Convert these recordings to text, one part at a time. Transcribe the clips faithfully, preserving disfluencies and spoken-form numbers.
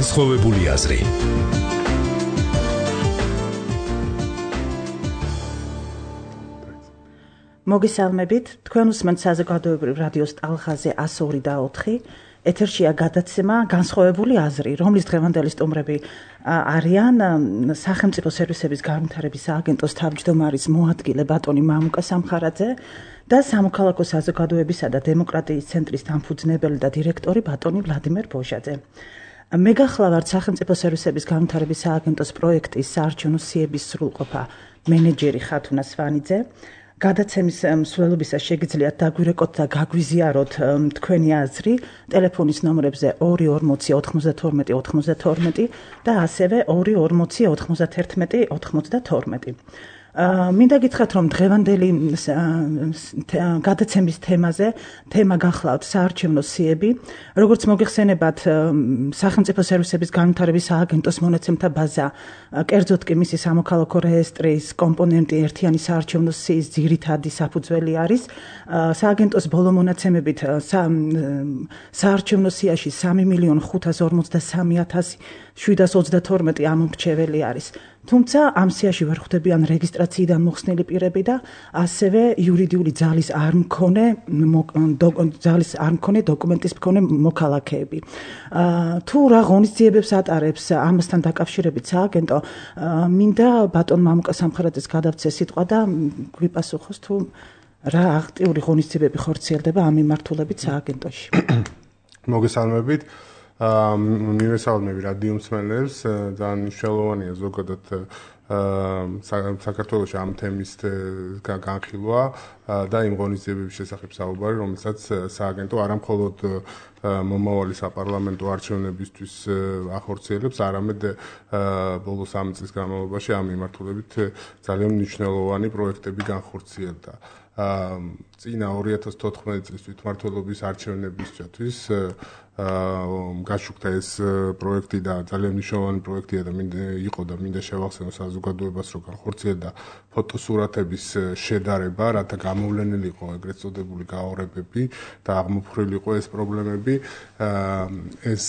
განსხვავებული აზრი. მოგესალმებით, თქვენ უსმენთ საზოგადოებრივ რადიოს ტალღაზე εκατს ორი და ოთხი. ეთერშია გადაცემა განსხვავებული აზრი, რომლის დღევანდელი სტუმრები არიან სახელმწიფო სერვისების განვითარების სააგენტოს თავმჯდომარის მოადგილე ბატონი მამუკა სამხარაძე და სამოქალაქო საზოგადოებისა და დემოკრატიის ცენტრის დამფუძნებელი და დირექტორი ბატონი ვლადიმერ ბოჟაძე. მე გახლავართ სახელმწიფო სერვისების განვითარების სააგენტოს პროექტის საარჩევნო სიების სრულყოფა მენეჯერი ხათუნა სვანიძე. გადაცემის მსვლელობისას შეგიძლიათ დაგვირეკოთ და გაგვიზიაროთ თქვენი აზრი ტელეფონის ნომრებზე ორი ორმოცი ოთხმოცდათორმეტი ოთხმოცდათორმეტი და ასევე ორი ორმოცი ოთხმოცდაათერთმეტი ოთხმოცდათორმეტი. მინდა გითხრათ, რომ დღევანდელი გადაცემის თემაზე თემა გახლავთ საარჩევნო სიები. როგორც მოგეხსენებათ, სახელმწიფო სერვისების განვითარების სააგენტოს მონაცემთა ბაზა, კერძოდ კი მისი სამოქალაქო რეესტრის კომპონენტი ერთიანი საარჩევნო სიის ძირითადი საფუძველი არის. სააგენტოს ბოლო მონაცემებით საარჩევნო სიაში სამი მილიონი ხუთას ორმოცდასამი ათასი შვიდას ოცდათორმეტი ამომრჩეველი არის. თუმცა ამ სიაში ვერ ხვდებიან რეგისტრაციიდან მოხსნილი პირები და ასევე იურიდიული ძალის არ მქონე ძალის არ მქონე დოკუმენტის მქონე მოქალაქეები. თუ რა ღონისძიებებს ატარებს ამასთან დაკავშირებით სააგენტო, მინდა ბატონ მამუკა სამხარაძეს გადავცე სიტყვა და გვიპასუხოს თუ რა აქტიური ღონისძიებები ხორციელდება ამ მიმართულებით სააგენტოში. მოგესალმებით. მივესალმები რადიო მსმენელებს, ძალიან მნიშვნელოვანია ზოგადად საქართველოში ამ თემის განხილვა და იმ ღონისძიებების შესახებ საუბარი, რომელსაც სააგენტო არა მხოლოდ მომავალი საპარლამენტო არჩევნებისთვის ახორციელებს, არამედ ბოლო სამი წლის განმავლობაში ამ მიმართულებით ძალიან მნიშვნელოვანი პროექტები განხორციელდა. წინა ორი ათას თოთხმეტი წლის თვითმმართველობის არჩევნებისათვის გაშუქდა ეს პროექტი და ძალიან მნიშვნელოვანი პროექტია და იყო და მინდა შევახსენო საზოგადოებას, რომ განხორციელდა ფოტოსურათების შედარება, რათა გამოვლენილი იყო ეგრეთ წოდებული გაორებები და აღმოფხვრილი იყო ეს პრობლემები. ეს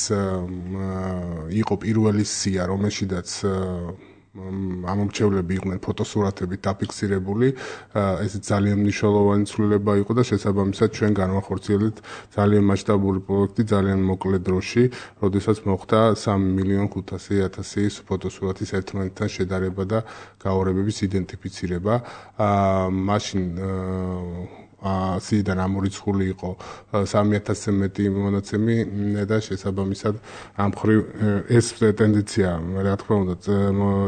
იყო პირველი სია, რომელშიდაც ამომრჩევლები იყვნენ ფოტოსურათებით დაფიქსირებული. ეს ძალიან მნიშვნელოვანი ცვლილება იყო და შესაბამისად ჩვენ განვახორციელებთ ძალიან მასშტაბური პროექტი ძალიან მოკლე დროში, როდესაც მოხდა სამი მილიონი ხუთასი ათასი ფოტოსურათის ერთმანეთთან შედარება და გაორებების იდენტიფიცირება. მაშინ სიიდან ამორიცხული იყო სამი ათასზე მეტი მონაცემი და შესაბამისად ამ მხრივ ეს ტენდენცია რა თქმა უნდა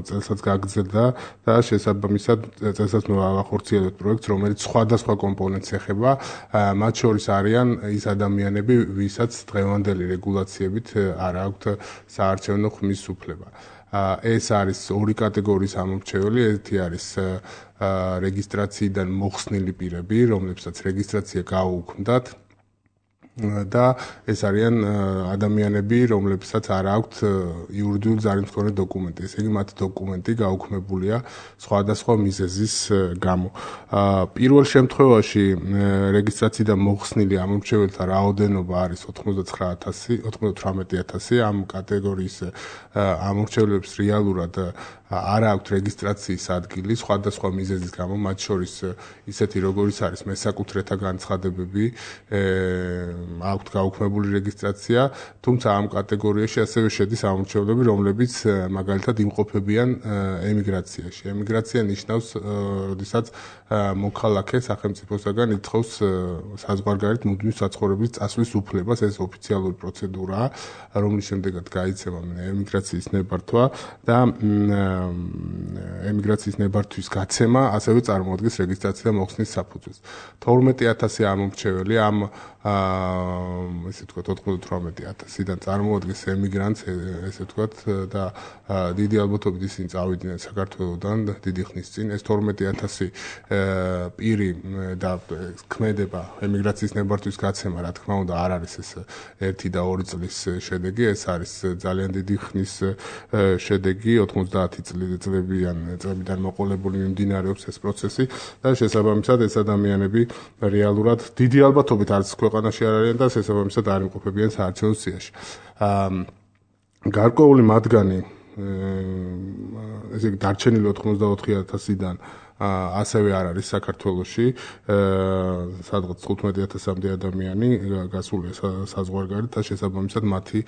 წელსაც გაგრძელდა და შესაბამისად წელსაც მოვახორციელებთ პროექტს, რომელიც სხვადასხვა კომპონენტს ეხება, მათ შორის არიან ის ადამიანები, ვისაც დღევანდელი რეგულაციებით არ აქვთ საარჩევნო ხმის უფლება. ეს არის ორი კატეგორიის ამომრჩეველი, ერთი არის რეგისტრაციიდან მოხსნილი პირები, რომლებსაც რეგისტრაცია გაუქმდათ და ეს არიან ადამიანები, რომლებსაც არ აქვთ იურიდიული ძალის მქონე დოკუმენტი. ესე იგი, მათ დოკუმენტი გაუქმებულია სხვადასხვა მიზეზის გამო. პირველ შემთხვევაში რეგისტრაციიდან მოხსნილი ამომრჩეველთა რაოდენობა არის ოცდათხმეტ ათასი, ოცდათვრამეტი ათასი. ამ კატეგორიის ამომრჩევლებს რეალურად არ აქვთ რეგისტრაციის ადგილი სხვადასხვა მიზეზის გამო, მათ შორის ისეთი როგორიც არის მესაკუთრეთა განცხადებები, აქვთ გაუქმებული რეგისტრაცია, თუმცა ამ კატეგორიაში ასევე შედის ამომრჩევლები, რომლებიც მაგალითად იმყოფებიან ემიგრაციაში. ემიგრაცია ნიშნავს, როდესაც მოქალაქე სახელმწიფოსაგან ითხოვს საზღვარგარეთ მუდმივ საცხოვრებლის წასვლის უფლებას, ეს ოფიციალური პროცედურაა, რომლის შემდეგაც გაიცემა ემიგრაციის ნებართვა და ემიგრაციის ნებართვის გაცემა ასევე წარმოადგენს რეგისტრაცია და მოხსნის საფუძველს. თორმეტი ათასი ამომრჩეველი ამ ესე ვთქვათ ოცდათვრამეტი ათასიდან წარმოადგენს ემიგრანტს, ესე ვთქვათ და დიდი ალბათობით ისინი წავიდნენ საქართველოსდან დიდი ხნის წინ. ეს თორმეტი ათასი პირი და ქმედება ემიგრაციის ნებართვის გაცემა, რა თქმა უნდა, არ არის ეს ერთი და ორი წლის შედეგი, ეს არის ძალიან დიდი ხნის შედეგი, ოცდაათი წლებიან წლებიდან მოყოლებული მიმდინარეობს ეს პროცესი და შესაბამისად ეს ადამიანები რეალურად დიდი ალბათობით არც ქვეყანაში არ არიან და შესაბამისად არ იმყოფებიან საარჩევნო სიაში. გარკვეული მათგანი ესე იგი დარჩენილი ოთხმოცდაოთხი ათასიდან ასევე არ არის საქართველოში, სადღაც თხუთმეტი ათასამდე ადამიანი გასულია საზღვარგარეთ და შესაბამისად მათი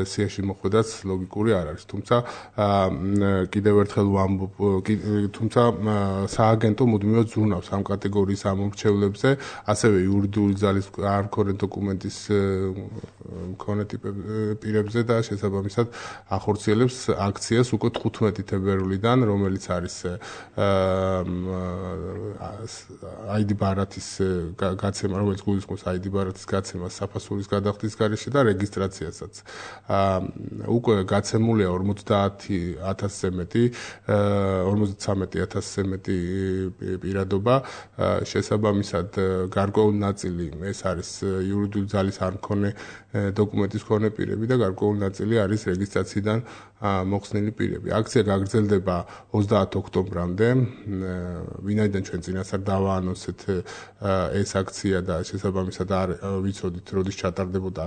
სიაში მოხვედაც ლოგიკური არ არის. თუმცა კიდევ ერთხელ ვამბობ, თუმცა სააგენტო მუდმივად ზრუნავს ამ კატეგორიის ამომრჩევლებზე, ასევე იურიდიული ძალის არ მქონე დოკუმენტის მქონე პირებზე და შესაბამისად ახორციელებს აქციას უკვე თხუთმეტი თებერვლიდან, რომელიც არის აიდი ბარათის გაცემა, რომელიც გულისხმობს აიდი ბარათის გაცემას საფასურის გადახდის გარეშე და რეგისტრაციასაც. უკვე გაცემულია ორმოცდაათი ათასზე მეტი, ორმოცდათვრამეტი ათასზე მეტი პირადობა, შესაბამისად გარკვეული ნაწილი ეს არის იურიდიული ძალის არ მქონე დოკუმენტის მქონე პირები და გარკვეული ნაწილი არის რეგისტრაციიდან მოხსნილი პირები. აქცია გაგრძელდება ოცდაათ ოქტომბრამდე. ვინაიდან ჩვენ წინასწარ დავაანონსეთ ეს აქცია და შესაბამისად არ ვიცოდით როდის ჩატარდებოდა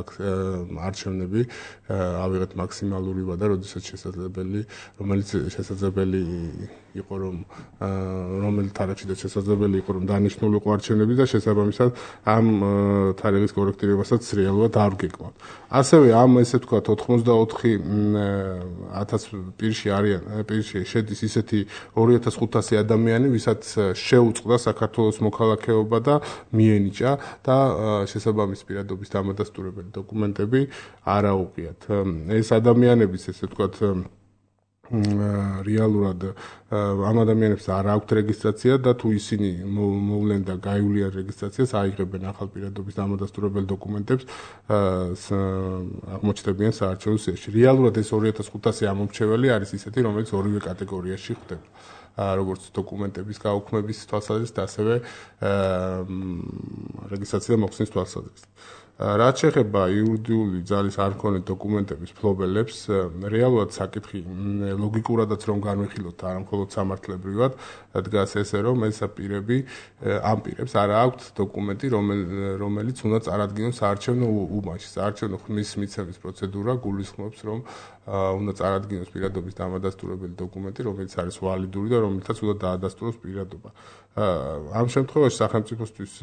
არჩევნები, ავიღეთ მაქსიმალური ვადა, როდესაც შესაძლებელი, რომელიც შესაძლებელი იყო რომ რომელი თარიღშიც შესაძლებელი იყო რომ დანიშნულიყო არჩევნები და შესაბამისად ამ თარიღის კორექტირებასაც რეალურად არ ვგეკმავთ. ასევე ამ ესე ვთქვათ ოთხმოცდაოთხი ათას პირში არიან, პირში შედის ისეთი ორი ათას ხუთასი ადამიანი, ვისაც შეუწყდა საქართველოს მოქალაქეობა და მიენიჭა და შესაბამის პირადობის დამადასტურებელი დოკუმენტები არ აუღიათ. ეს ადამიანებიც ესე ვთქვათ რეალურად ამ ადამიანებს არ აქვთ რეგისტრაცია და თუ ისინი მოვლენ და გაივლიან რეგისტრაციას, აიღებენ ახალ პირადობის დამადასტურებელ დოკუმენტებს, აღმოჩნდებიან საარჩევნო სიაში. რეალურად ეს ორი ათას ხუთასი ამომრჩეველი არის ისეთი, რომელიც ორივე კატეგორიაში ხდება. როგორც დოკუმენტების გაუქმების თვალსაზრისით, ასევე რეგისტრაცია მოხსნის თვალსაზრისით. რაც შეეხება იურიდიული ძალის არ მქონე დოკუმენტების ფლობელებს, რეალურად საკითხი ლოგიკურადაც რომ განვიხილოთ, არა მხოლოდ სამართლებრივად, დგას ესე, რომ ეს პირები ამ პირებს არ აქვთ დოკუმენტი, რომელიც უნდა წარადგინოს საარჩევნო უბანში. საარჩევნო ხმის მიცემის პროცედურა გულისხმობს, რომ უნდა წარადგინოს პირადობის დამადასტურებელი დოკუმენტი, რომელიც არის ვალიდური და რომელთაც უნდა დაადასტუროს პირადობა. ამ შემთხვევაში სახელმწიფოსთვის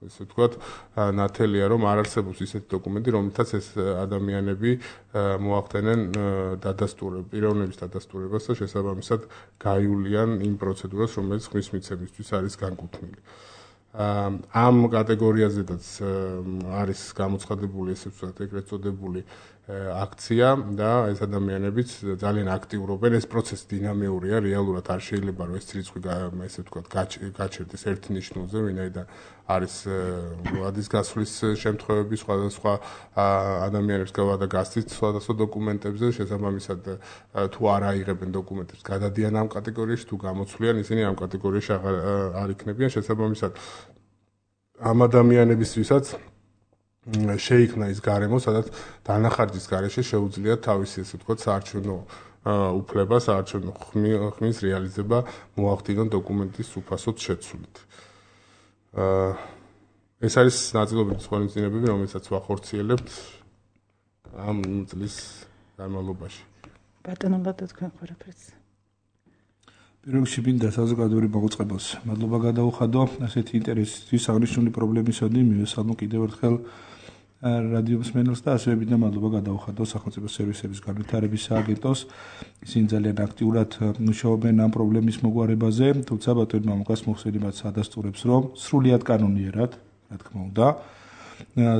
ესე ვთქვათ, ნათელია, რომ არ არსებობს ისეთი დოკუმენტი, რომელთაც ეს ადამიანები მოახდენენ დადასტურებას, პიროვნების დადასტურებას და შესაბამისად გაივლიან იმ პროცედურას, რომელიც ხმის მიცემისთვის არის განკუთვნილი. ამ კატეგორიაზედაც არის გამოცხადებული ესე ვთქვათ, ეგრეთ წოდებული აქცია და ეს ადამიანებიც ძალიან აქტიურობენ. ეს პროცესი დინამიურია, რეალურად არ შეიძლება რომ ეს რიცხვი ესე ვთქვათ გაჩერდეს ერთ ნიშნულზე, ვინაიდან არის ვადის გასვლის შემთხვევები სხვადასხვა ადამიანებს გავადა გასცით სხვადასხვა დოკუმენტებზე, შესაბამისად თუ არ აიღებენ დოკუმენტებს, გადადიან ამ კატეგორიაში, თუ გამოცვლიან, ისინი ამ კატეგორიაში არ იქნებიან, შესაბამისად ამ ადამიანებისთვისაც შეიქმნა ის გარემო, სადაც დანახარჯის გარეშე შეუძლიათ თავისი ესე ვთქვათ საარჩევნო უფლება, საარჩევნო ხმის რეალიზება მოახდინონ დოკუმენტის უფასოდ შეცვლით. ეს არის ნაწილობრივ ხელმძღვანელობები, რომელსაც ვახორციელებთ ამ წლის განმავლობაში. ბატონო ლადო თქვენ ყველაფერს. პირველ რიგში მინდა საზოგადოებრივ მოღვაწეობას მადლობა გადაუხადო ასეთი ინტერესისთვის აღნიშნული პრობლემისადმი მივესალმო კიდევ ერთხელ რადიო მსმენელს და ასევე მინდა მადლობა გადაუხადო სახელმწიფო სერვისების განვითარების სააგენტოს. ისინი ძალიან აქტიურად მუშაობენ ამ პრობლემის მოგვარებაზე, თუმცა ბატონი მამუკას მოხსენებაც ადასტურებს, რომ სრულიად კანონიერად, რა თქმა უნდა,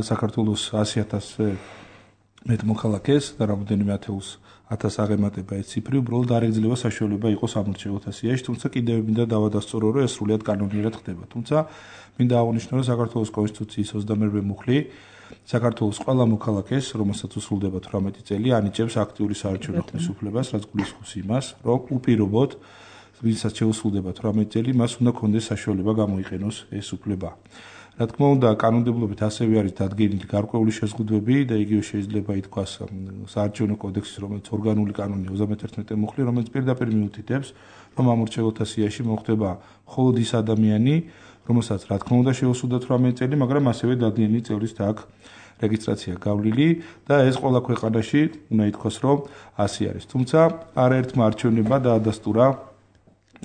საქართველოს ასი ათასზე მეტ მოქალაქეს და რამოდენიმე ათეულს ათას აღემატება ეს ციფრი, უბრალოდ არ ეგძლევა საშუალება იყოს ამორჩეულთა სიაში, თუმცა კიდევ მინდა დავადასტურო, რომ ეს სრულიად კანონიერად ხდება. თუმცა მინდა აღნიშნო, რომ საქართველოს კონსტიტუციის ოცდამერვე მუხლი საქართველოს ყველა მოქალაქეს, რომელსაც უსრულდება თვრამეტი წელი, ანიჭებს აქტიური საარჩევნო ხმის უფლებას, რაც გულისხმობს იმას, რომ უპირობოდ ვისაც შეუსრულდება თვრამეტი წელი, მას უნდა კონდეს საშუალება გამოიყენოს ეს უფლება. რა თქმა უნდა, კანონმდებლობით ასევე არის დადგენილი გარკვეული შეზღუდვები და იგივე შეიძლება ითქვას საარჩევნო კოდექსის, რომელიც ორგანული კანონი ოცდამეთერთმეტე მუხლი, რომელიც პირდაპირ მიუთითებს, რომ ამორჩეულთა სიაში მოხდება მხოლოდ ის ადამიანი, რომელსაც რა თქმა უნდა შეუსრულდა თვრამეტი წელი, მაგრამ ასევე დადგენილი წევრის აქვს რეგისტრაცია გავლილი და ეს ყველა ქვეყანაში უნდა ითქვას, რომ ასე არის. თუმცა არაერთმა არჩევნებმა დაადასტურა,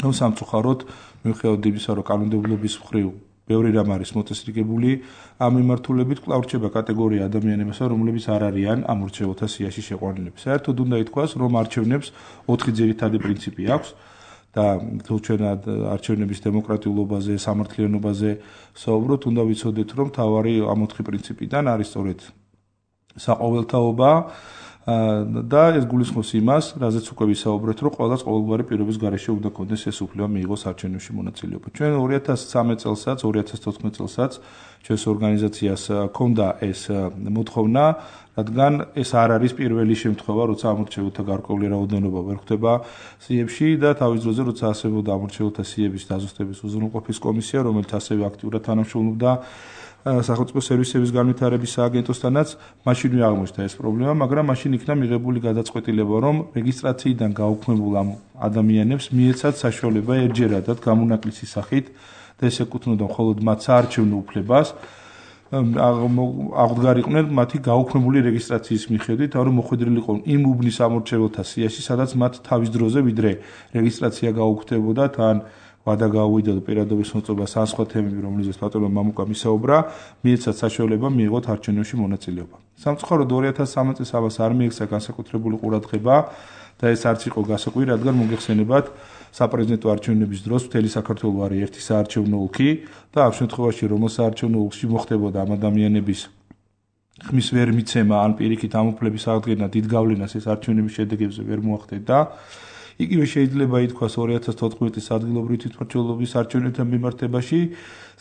რომ სამწუხაროდ მიუხედავად იმისა, რომ კანონმდებლობის მხრივ ბევრი რამ არის მოწესრიგებული, ამ მიმართულებით კვლავ რჩება კატეგორია ადამიანებისა, რომლებიც არ არიან ამ მორჩეულთა სიაში შეყვანილები. საერთოდ უნდა ითქვას, რომ არჩევნებს ოთხი ძირითადი პრინციპი აქვს და თუ ჩვენ არჩევნების დემოკრატიულობაზე, სამართლიანობაზე საუბრობთ, უნდა ვიცოდეთ, რომ თავარი ამ ოთხი პრინციპიდან არის სწორედ საყოველთაობა და ეს გულისხმობს იმას, რაზეც უკვე ვისაუბრეთ, რომ ყველას ყოველგვარი პირობის გარეშე უნდა კონდეს ეს უფლება მიიღოს არჩევნებში მონაწილეობა. ჩვენ ორი ათას სამი წელსაც, ორი ათას თოთხმეტ წელსაც ჩვენს ორგანიზაციას ჰქონდა ეს მოთხოვნა, რადგან ეს არ არის პირველი შემთხვევა, როცა ამორჩეულთა გარკვეული რაოდენობა ვერ ხვდება სიებში და თავის დროზე, როცა არსებობდა ამორჩეულთა სიების დაზუსტების უზრუნველყოფის კომისია, რომელიც ასევე აქტიურად თანამშრომლობდა სახელმწიფო სერვისების განვითარების სააგენტოსთანაც, მაშინვე აღმოჩნდა ეს პრობლემა, მაგრამ მაშინ იქნა მიღებული გადაწყვეტილება, რომ რეგისტრაციიდან გაუქმებულ ამ ადამიანებს მიეცათ საშუალება ერთჯერადად გამონაკლისის სახით და ეს ეკუთვნოდა მხოლოდ მათ საარჩევნო უფლებას, აღდგარიყვნენ მათი გაუქმებული რეგისტრაციის მიხედვით, რომ მოხვედრილიყო იმ უბნის ამორჩეულთა სიაში, სადაც მათ თავის დროზე ვიდრე რეგისტრაცია გაუქმდებოდა, თან ვადა გაუვიდა და პირადობის მოწყობა ან სხვა თემები, რომლითაც ბატონო მამუკამ ისაუბრა, მიეცათ საშუალება მიიღოთ არჩევნებში მონაწილეობა. სამწუხაროდ ორი ათას სამი წელს ამას არ მიექცა განსაკუთრებული ყურადღება და ეს არც იყო გასაკვირი, რადგან მოგეხსენებათ საპრეზიდენტო არჩევნების დროს მთელი საქართველო არის ერთი საარჩევნო ოლქი და ამ შემთხვევაში რომელ საარჩევნო ოლქში მოხდებოდა ამ ადამიანების ხმის ვერ მიცემა ან პირიქით ამ უფლების აღდგენა დიდ გავლენას ეს არჩევნების შედეგებზე ვერ მოახდენდა. იგივე შეიძლება ითქვას ორი ათას თოთხმეტ წლის ადგილობრივი თვითმმართველობის არჩევნებთან მიმართებაში,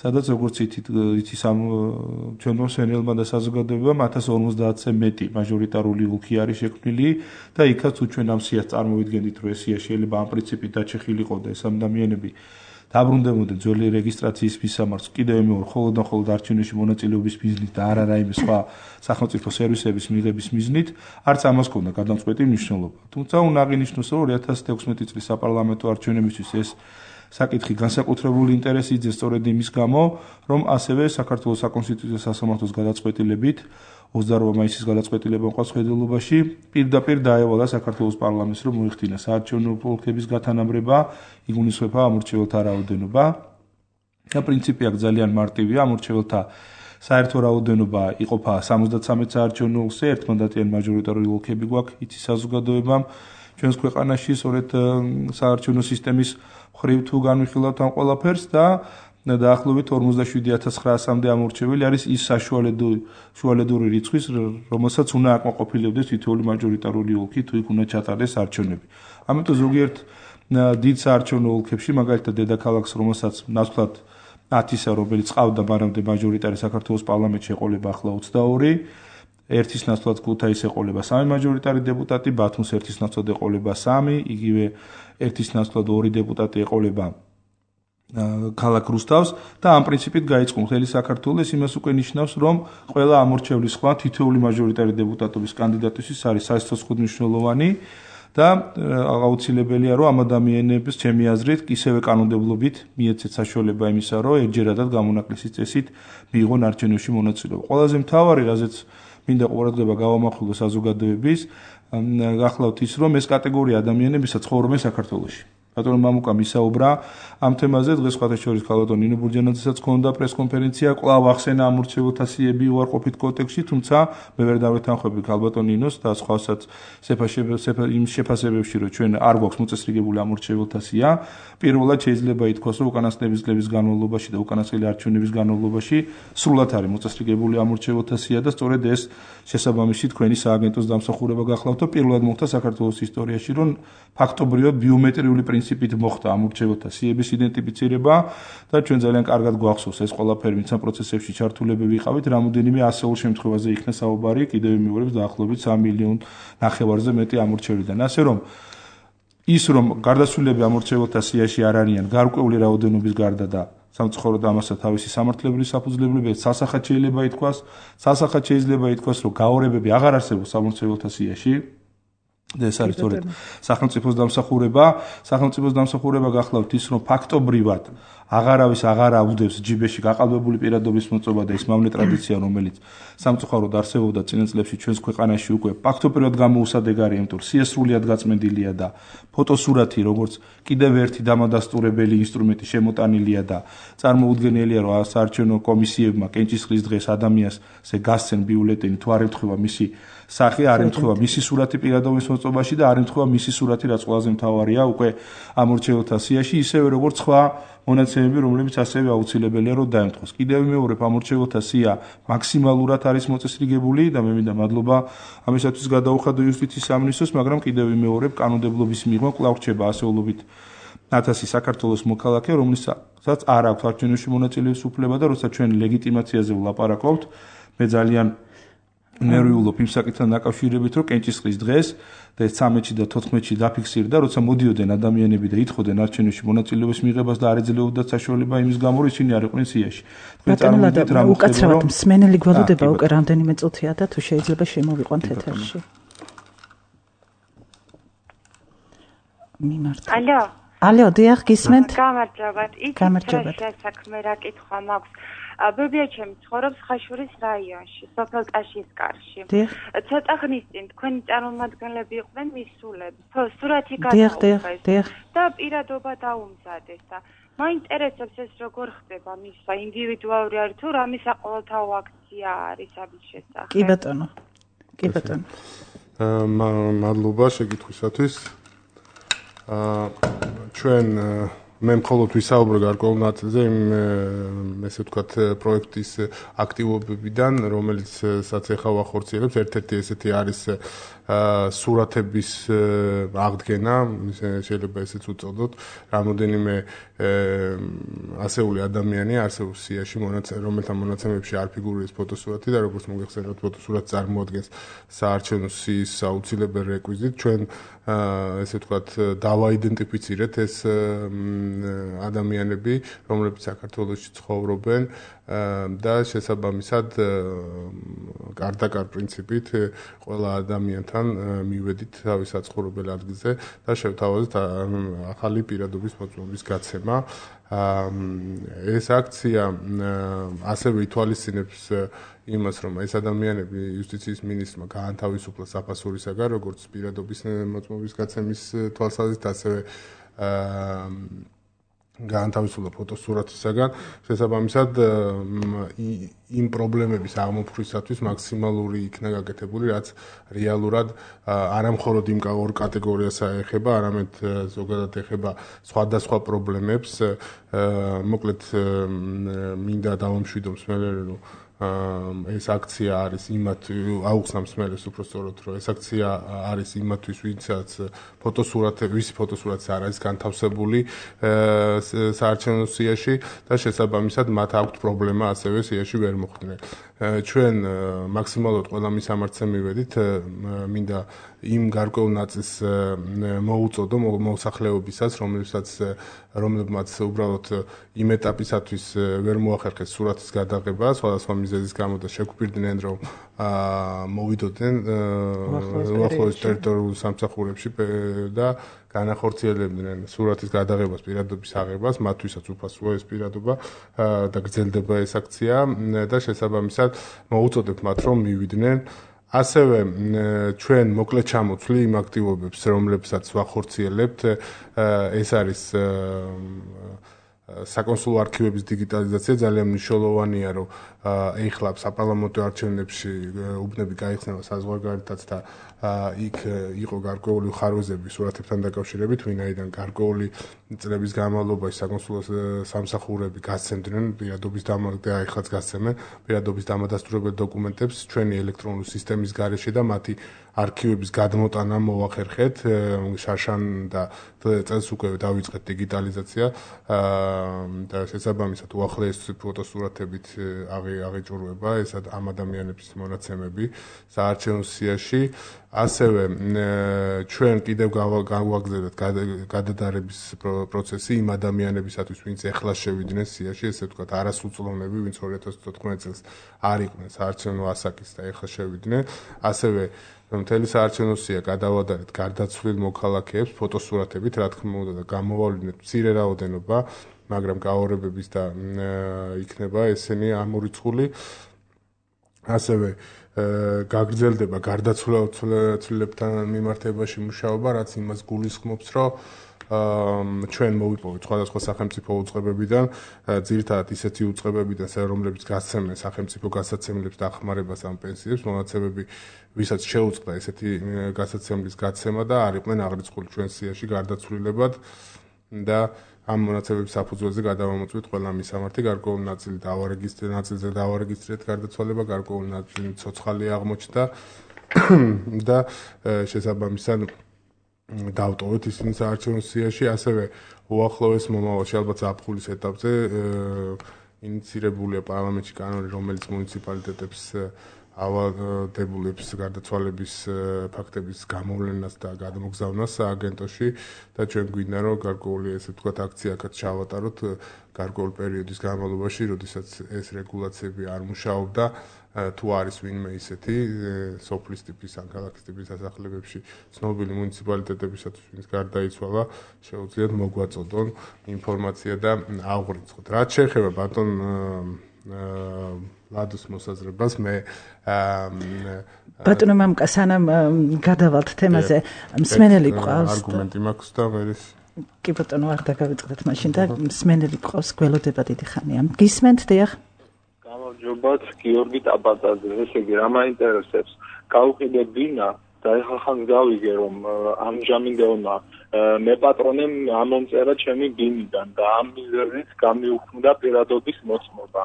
სადაც როგორც იცის ამ ჩვენმა მსმენელმა და საზოგადოებამ ათას ორმოცდაათზე მეტი მაჟორიტარული ოლქი არის შექმნილი და იქაც თუ ჩვენ ამ სიას წარმოვიდგენთ, რომ ეს სია შეიძლება ამ პრინციპით დაჩეხილიყო და ეს ადამიანები დაბრუნდებოდნენ ძველი რეგისტრაციის მისამართს კიდევ მეორე მხოლოდ და მხოლოდ არჩევნებში მონაწილეობის მიზნით და არა რაიმე სხვა სახელმწიფო სერვისების მიღების მიზნით, არც ამას ჰქონდა გადამწყვეტი მნიშვნელობა. თუმცა უნდა აღინიშნოს, რომ ორი ათას თექვსმეტი წლის საპარლამენტო არჩევნებისთვის ეს საკითხი განსაკუთრებული ინტერესი იძენს სწორედ იმის გამო, რომ ასევე საქართველოს საკონსტიტუციო სასამართლოს გადაწყვეტილებით ოცდაოთხ მაისის გადაწყვეტილება მყავს ხედელობაში, პირდაპირ დაევალა საქართველოს პარლამენტს, რომ მოიხდინა საარჩევნო ოლქების გათანაბრება, იგულისხმება ამორჩეულთა რაოდენობა. და პრინციპი აქ ძალიან მარტივია, ამორჩეულთა საერთო რაოდენობა იყოფა სამოცდაცამეტ საარჩევნო ოლქზე, ერთმანდატიანი მაჟორიტარული ოლქები გვაქვს იცის საზოგადოებამ. ჩვენს ქვეყანაში სწორედ საარჩევნო სისტემის მხრივ თუ განვიხილავთ ამ ყველაფერს და დაახლოებით ორმოცდაშვიდი ათას ცხრაასამდე ამორჩეველი არის ის საშუალედური რიცხვის, რომელსაც უნდა აკმაყოფილებდეს თითოეული მაჟორიტარული ოლქი, თუ იქ უნდა ჩატარდეს არჩევნები. ამიტომ ზოგიერთ დიდ საარჩევნო ოლქებში, მაგალითად დედაქალაქს, რომელსაც ნაცვლად ათისა, რომელიც ყავდა მანამდე მაჟორიტარი საქართველოს პარლამენტში ეყოლება ახლა ოცდაორი, ერთის ნაცვლად ქუთაისს ეყოლება სამი მაჟორიტარი დეპუტატი, ბათუმს ერთის ნაცვლად ეყოლება სამი, იგივე ერთის ნაცვლად ორი დეპუტატი ეყოლება ქალაქ რუსთავს და ამ პრინციპით გაიწყო მთელი საქართველოს. ეს იმას უკვე ნიშნავს, რომ ყველა ამორჩევლის სხვა თითოეული მაჟორიტარი დეპუტატობის კანდიდატისთვის არის საერთოდ მნიშვნელოვანი და აუცილებელია, რომ ამ ადამიანებს ჩემი აზრით ისევე კანონმდებლობით მიეცეთ საშუალება იმისა, რომ ერთჯერადად გამონაკლისის წესით მიიღონ არჩევნებში მონაწილეობა. ყველაზე მთავარი, რაზეც მინდა ყურადღება გავამახვილო საზოგადოების, გახლავთ ის, რომ ეს კატეგორია ადამიანებისა ცხოვრობენ საქართველოში. ბატონო მამუკამ ისაუბრა ამ თემაზე, დღეს სხვათა შორის ქალბატონ ნინო ბურჯანაძესაც ჰქონდა პრესკონფერენცია, კვლავ ახსენა ამორჩეულთა სიები უარყოფით კონტექსტში, თუმცა მე ვერ დავეთანხმები ქალბატონ ნინოს და სხვასაც იმ შეფასებებში, რომ ჩვენ არ გვაქვს მოწესრიგებული ამორჩეულთა სია. პირველად შეიძლება ითქვას, რომ უკანასკნელი წლების განმავლობაში და უკანასკნელი არჩევნების განმავლობაში სრულად არის მოწესრიგებული ამორჩეულთა სია და სწორედ ეს შესაბამისი თქვენი სააგენტოს დამსახურება გახლავთ, რომ პირველად მოხდა საქართველოს ისტორიაში, რომ ფაქტობრივად ბიომეტრიული პრინციპით მოხდა ამორჩეულთა სიების იდენტიფიცირება და ჩვენ ძალიან კარგად გვახსოვს ეს ყველაფერი, ვინც ამ პროცესებში ჩართულები ვიყავით, რამოდენიმე ასეულ შემთხვევაზე იქნა საუბარი, კიდევ მეორებს დაახლოებით სამი მილიონ ნახევარზე მეტი ამორჩევლიდან. ასე რომ ის რომ გარდაცვლილები ამორჩეულთა სიაში არ არიან გარკვეული რაოდენობის გარდა და სამწუხაროდ ამასაც თავისი სამართლებრივი საფუძვლებლობებით სასახად შეიძლება ითქვას, სასახად შეიძლება ითქვას, რომ გაორებები აღარ არსებობს ამორჩეულთა სიაში. და ეს არის სწორედ სახელმწიფოს დამსახურება, სახელმწიფოს დამსახურება გახლავთ ის, რომ ფაქტობრივად აღარავის აღარ აუდევს ჯიბეში გაყალბებული პირადობის მოწობა და ის მავნე ტრადიცია, რომელიც სამწუხაროდ არსებობდა წინა წლებში ჩვენს ქვეყანაში უკვე ფაქტობრივად გამოუსადეგარია, იმიტომ რომ სიესრულიად გაწმენდილია და ფოტოსურათი, როგორც კიდევ ერთი დამადასტურებელი ინსტრუმენტი შემოტანილია და წარმოუდგენელია, რომ საარჩევნო კომისიებმა კენჭისყრის დღეს ადამიანზე გასცენ ბიულეტენი თუ არ ემთხვევა მისი სახე, არ ემთხვევა მისი სურათი პირადობის მოწობაში და არ ემთხვევა მისი სურათი, რაც ყველაზე მთავარია უკვე ამორჩეულთა სიაში, ისევე როგორც სხვა მონაცემები, რომლებიც ასევე აუცილებელია რომ დაემთხვას. კიდევ მეორე ამორჩეულთა სია მაქსიმალურად არის მოწესრიგებული და მე მინდა მადლობა ამისათვის გადაუხადო იუსტიციის სამინისტროს, მაგრამ კიდევ მეორე კანონმდებლობის მიღმა კვლავ რჩება ასეულობით ათასი საქართველოს მოქალაქე, რომლისაცაც არ აქვს არჩევნებში მონაწილეობის უფლება და როცა ჩვენ ლეგიტიმაციაზე ვლაპარაკობთ, მე ძალიან ნერვიულობ იმ საკითხთან დაკავშირებით, რომ კენჭისყრის დღეს და ეს ცამეტში და თოთხმეტში დაფიქსირდა, როცა მოდიოდნენ ადამიანები და ითხოვდნენ არჩევნებში მონაწილეობის მიღებას და არ ეძლეოდათ საშუალება იმის გამო, რომ ისინი არ იყვნენ სიაში. თქვენ წარმოვიდგინეთ რა უკაცრავად მსმენელი გველოდება უკვე რამდენიმე წუთია და თუ შეიძლება შემოვიყვანთ ეთერში. მიმართ. ალო. ალო, დიახ, გისმენთ? გამარჯობათ. გამარჯობათ. საქმე რა კითხვა მაქვს. ბებიაჩემი ცხოვრობს ხაშურის რაიონში, სოფელ ტაშისკარში. ცოტა ხნის წინ თქვენი წარმომადგენლები იყვნენ მისულები. სურათი გადაუღეს და პირადობა დაუმზადეს და მაინტერესებს ეს როგორ ხდება მისვა, ინდივიდუალური არის თუ რამე საყოველთაო აქცია არის ამის შესახებ. კი ბატონო. კი ბატონო. მადლობა შეკითხვისათვის. აა ჩვენ მე მხოლოდ ვისაუბრე გარკვეულ ნაწილზე იმ ესე ვთქვათ პროექტის აქტივობებიდან, რომელიც სადაც ეხა ვახორციელებს, ერთ-ერთი ესეთი არის სურათების აღდგენა, შეიძლება ესეც უწოდოთ, რამოდენიმე ასეული ადამიანი არსებობს სიაში, რომელთა მონაცემებში არ ფიგურირებს ფოტოსურათი და როგორც მოგეხსენებათ, ფოტოსურათი წარმოადგენს საარჩევნო სიის აუცილებელ რეკვიზიტს. ჩვენ ესე ვთქვათ დავაიდენტიფიცირეთ ეს ადამიანები, რომლებიც საქართველოში ცხოვრობენ და შესაბამისად კარ-და-კარ პრინციპით ყველა ადამიანთან მივედით თავის საცხოვრებელ ადგილზე და შევთავაზეთ ახალი პირადობის მოწმობის გაცემა. ეს აქცია ასევე ითვალისწინებს იმას, რომ ეს ადამიანები იუსტიციის მინისტრმა გაანთავისუფლა საფასურისაგან, როგორც პირადობის მოწმობის გაცემის თვალსაზრისით, ასევე გაანთავისუფლა ფოტოსურათისაგან, შესაბამისად იმ პრობლემების აღმოფხვისათვის მაქსიმალური იქნა გაკეთებული, რაც რეალურად არა მხოლოდ იმ ორ კატეგორიას ეხება, არამედ ზოგადად ეხება სხვადასხვა პრობლემებს. მოკლედ მინდა დავამშვიდო მსმენელს, რომ ეს აქცია არის იმათ აუხსნა მსმენელს უფრო სწორად, რომ ეს აქცია არის იმათთვის, ვინცაც ფოტოსურათი, ვისი ფოტოსურათი არ არის განთავსებული საარჩევნო სიაში და შესაბამისად მათ აქვთ პრობლემა ასევე სიაში ვერ მოხვდნენ. ჩვენ მაქსიმალურად ყველა მისამართზე მივედით, მინდა იმ გარკვეულ ნაწილს მოუწოდო მოსახლეობისას, რომლებსაც რომლებმაც უბრალოდ იმ ეტაპისათვის ვერ მოახერხეს სურათის გადაღება, სხვადასხვა მიზეზის გამო და შეგვპირდნენ, რომ მოვიდოდნენ უახლოეს ტერიტორიულ სამსახურებში და განახორციელებდნენ სურათის გადაღებას, პირადობის აღებას, მათთვისაც უფასოა ეს პირადობა და გრძელდება ეს აქცია და შესაბამისად მოუწოდებთ მათ, რომ მივიდნენ. ასევე ჩვენ მოკლედ ჩამოთვლი იმ აქტივობებს, რომლებსაც ვახორციელებთ, ეს არის საკონსულო არქივების დიგიტალიზაცია. ძალიან მნიშვნელოვანია, რომ ეხლა საპარლამენტო არჩევნებში უბნები გაიხსნება საზღვარგარეთაც და იქ იყო გარკვეული ხარვეზები სურათებთან დაკავშირებით, ვინაიდან გარკვეული წლების განმავლობაში საკონსულო სამსახურები გასცემდნენ პირადობის და ეხლაც გასცემენ პირადობის დამადასტურებელ დოკუმენტებს ჩვენი ელექტრონული სისტემის გარეშე და მათი არქივების გადმოტანა მოახერხეთ. შარშან და წელს უკვე დავიწყეთ დიგიტალიზაცია და შესაბამისად უახლოეს ფოტოსურათებით აღიჭურვება ეს ამ ადამიანების მონაცემები საარჩევნო სიაში. ასევე ჩვენ კიდევ გავაგზავნეთ გადადარების პროცესი იმ ადამიანებისათვის, ვინც ეხლა შევიდნენ სიაში, ესე ვთქვათ, არასრულწლოვნები, ვინც ორი ათას თოთხმეტი წელს არ იყვნენ საარჩევნო ასაკის და ეხლა შევიდნენ. ასევე მთელი საარჩევნო სია გადავადარეთ გარდაცვლილ მოქალაქეებს ფოტოსურათებით, რა თქმა უნდა და გამოვავლინეთ მცირე რაოდენობა, მაგრამ გაორებების და იქნება ესენი ამორიცხული. ასევე გაგრძელდება გარდაცვლილებთან მიმართებაში მუშაობა, რაც იმას გულისხმობს, რომ ჩვენ მოვიპოვეთ სხვადასხვა სახელმწიფო უწყებებიდან, ძირითადად ისეთი უწყებებიდან, რომლებიც გასცემენ სახელმწიფო გასაცემლებს დახმარებას ამ პენსიებს, მონაცემები, ვისაც შეუწყდა ესეთი გასაცემლის გაცემა და არ იყვნენ აღრიცხული ჩვენ სიაში გარდაცვლილებად და ამ მონაცემების საფუძველზე გადავამოწმეთ ყველა მისამართი, გარკვეული ნაწილი დავარეგისტრირეთ, ნაწილზე დავარეგისტრირეთ გარდაცვალება, გარკვეული ნაწილი ცოცხალი აღმოჩნდა და შესაბამისად დავტოვეთ ისინი საარჩევნო სიაში, ასევე უახლოეს მომავალში ალბათ ზაფხულის ეტაპზე ინიცირებულია პარლამენტში კანონი, რომელიც მუნიციპალიტეტებს ავალდებულებს გარდაცვალების ფაქტების გამოვლენას და გადამოგზავნას სააგენტოში და ჩვენ გვინდა რომ გარკვეული ესე ვთქვათ აქციაკაც ჩავატაროთ გარკვეული პერიოდის განმავლობაში, როდესაც ეს რეგულაციები არ მუშაობდა, თუ არის ვინმე ისეთი სოფლის ტიპის ან ქალაქის ტიპის სასახლებებში ცნობილი მუნიციპალიტეტებისათვის, ვინც გარდაიცვალა, შეუძლიათ მოგვაწოდონ ინფორმაცია და აღვრიცხოთ. რაც შეეხება ბატონ ლადოს მოსაზრებას, მე ბატონო მამკა სანამ გადავალთ თემაზე, მსმენელი ყავს არგუმენტი მაქვს და მე კი ბატონო არ დაგავიწყდეთ მაშინ და მსმენელი ყავს გველოდება დიდი ხანია. გისმენთ დიახ? გამარჯობათ, გიორგი ტაბაძე. ესე იგი, რა მაინტერესებს? გავუყიდე ბინა და ეხლა ხან გავიგე რომ ამჟამინდელმა მე პატრონემ ამომწერა ჩემი ბინიდან და ამ მიზეზით გამიუქმდა პირადობის მოწმობა.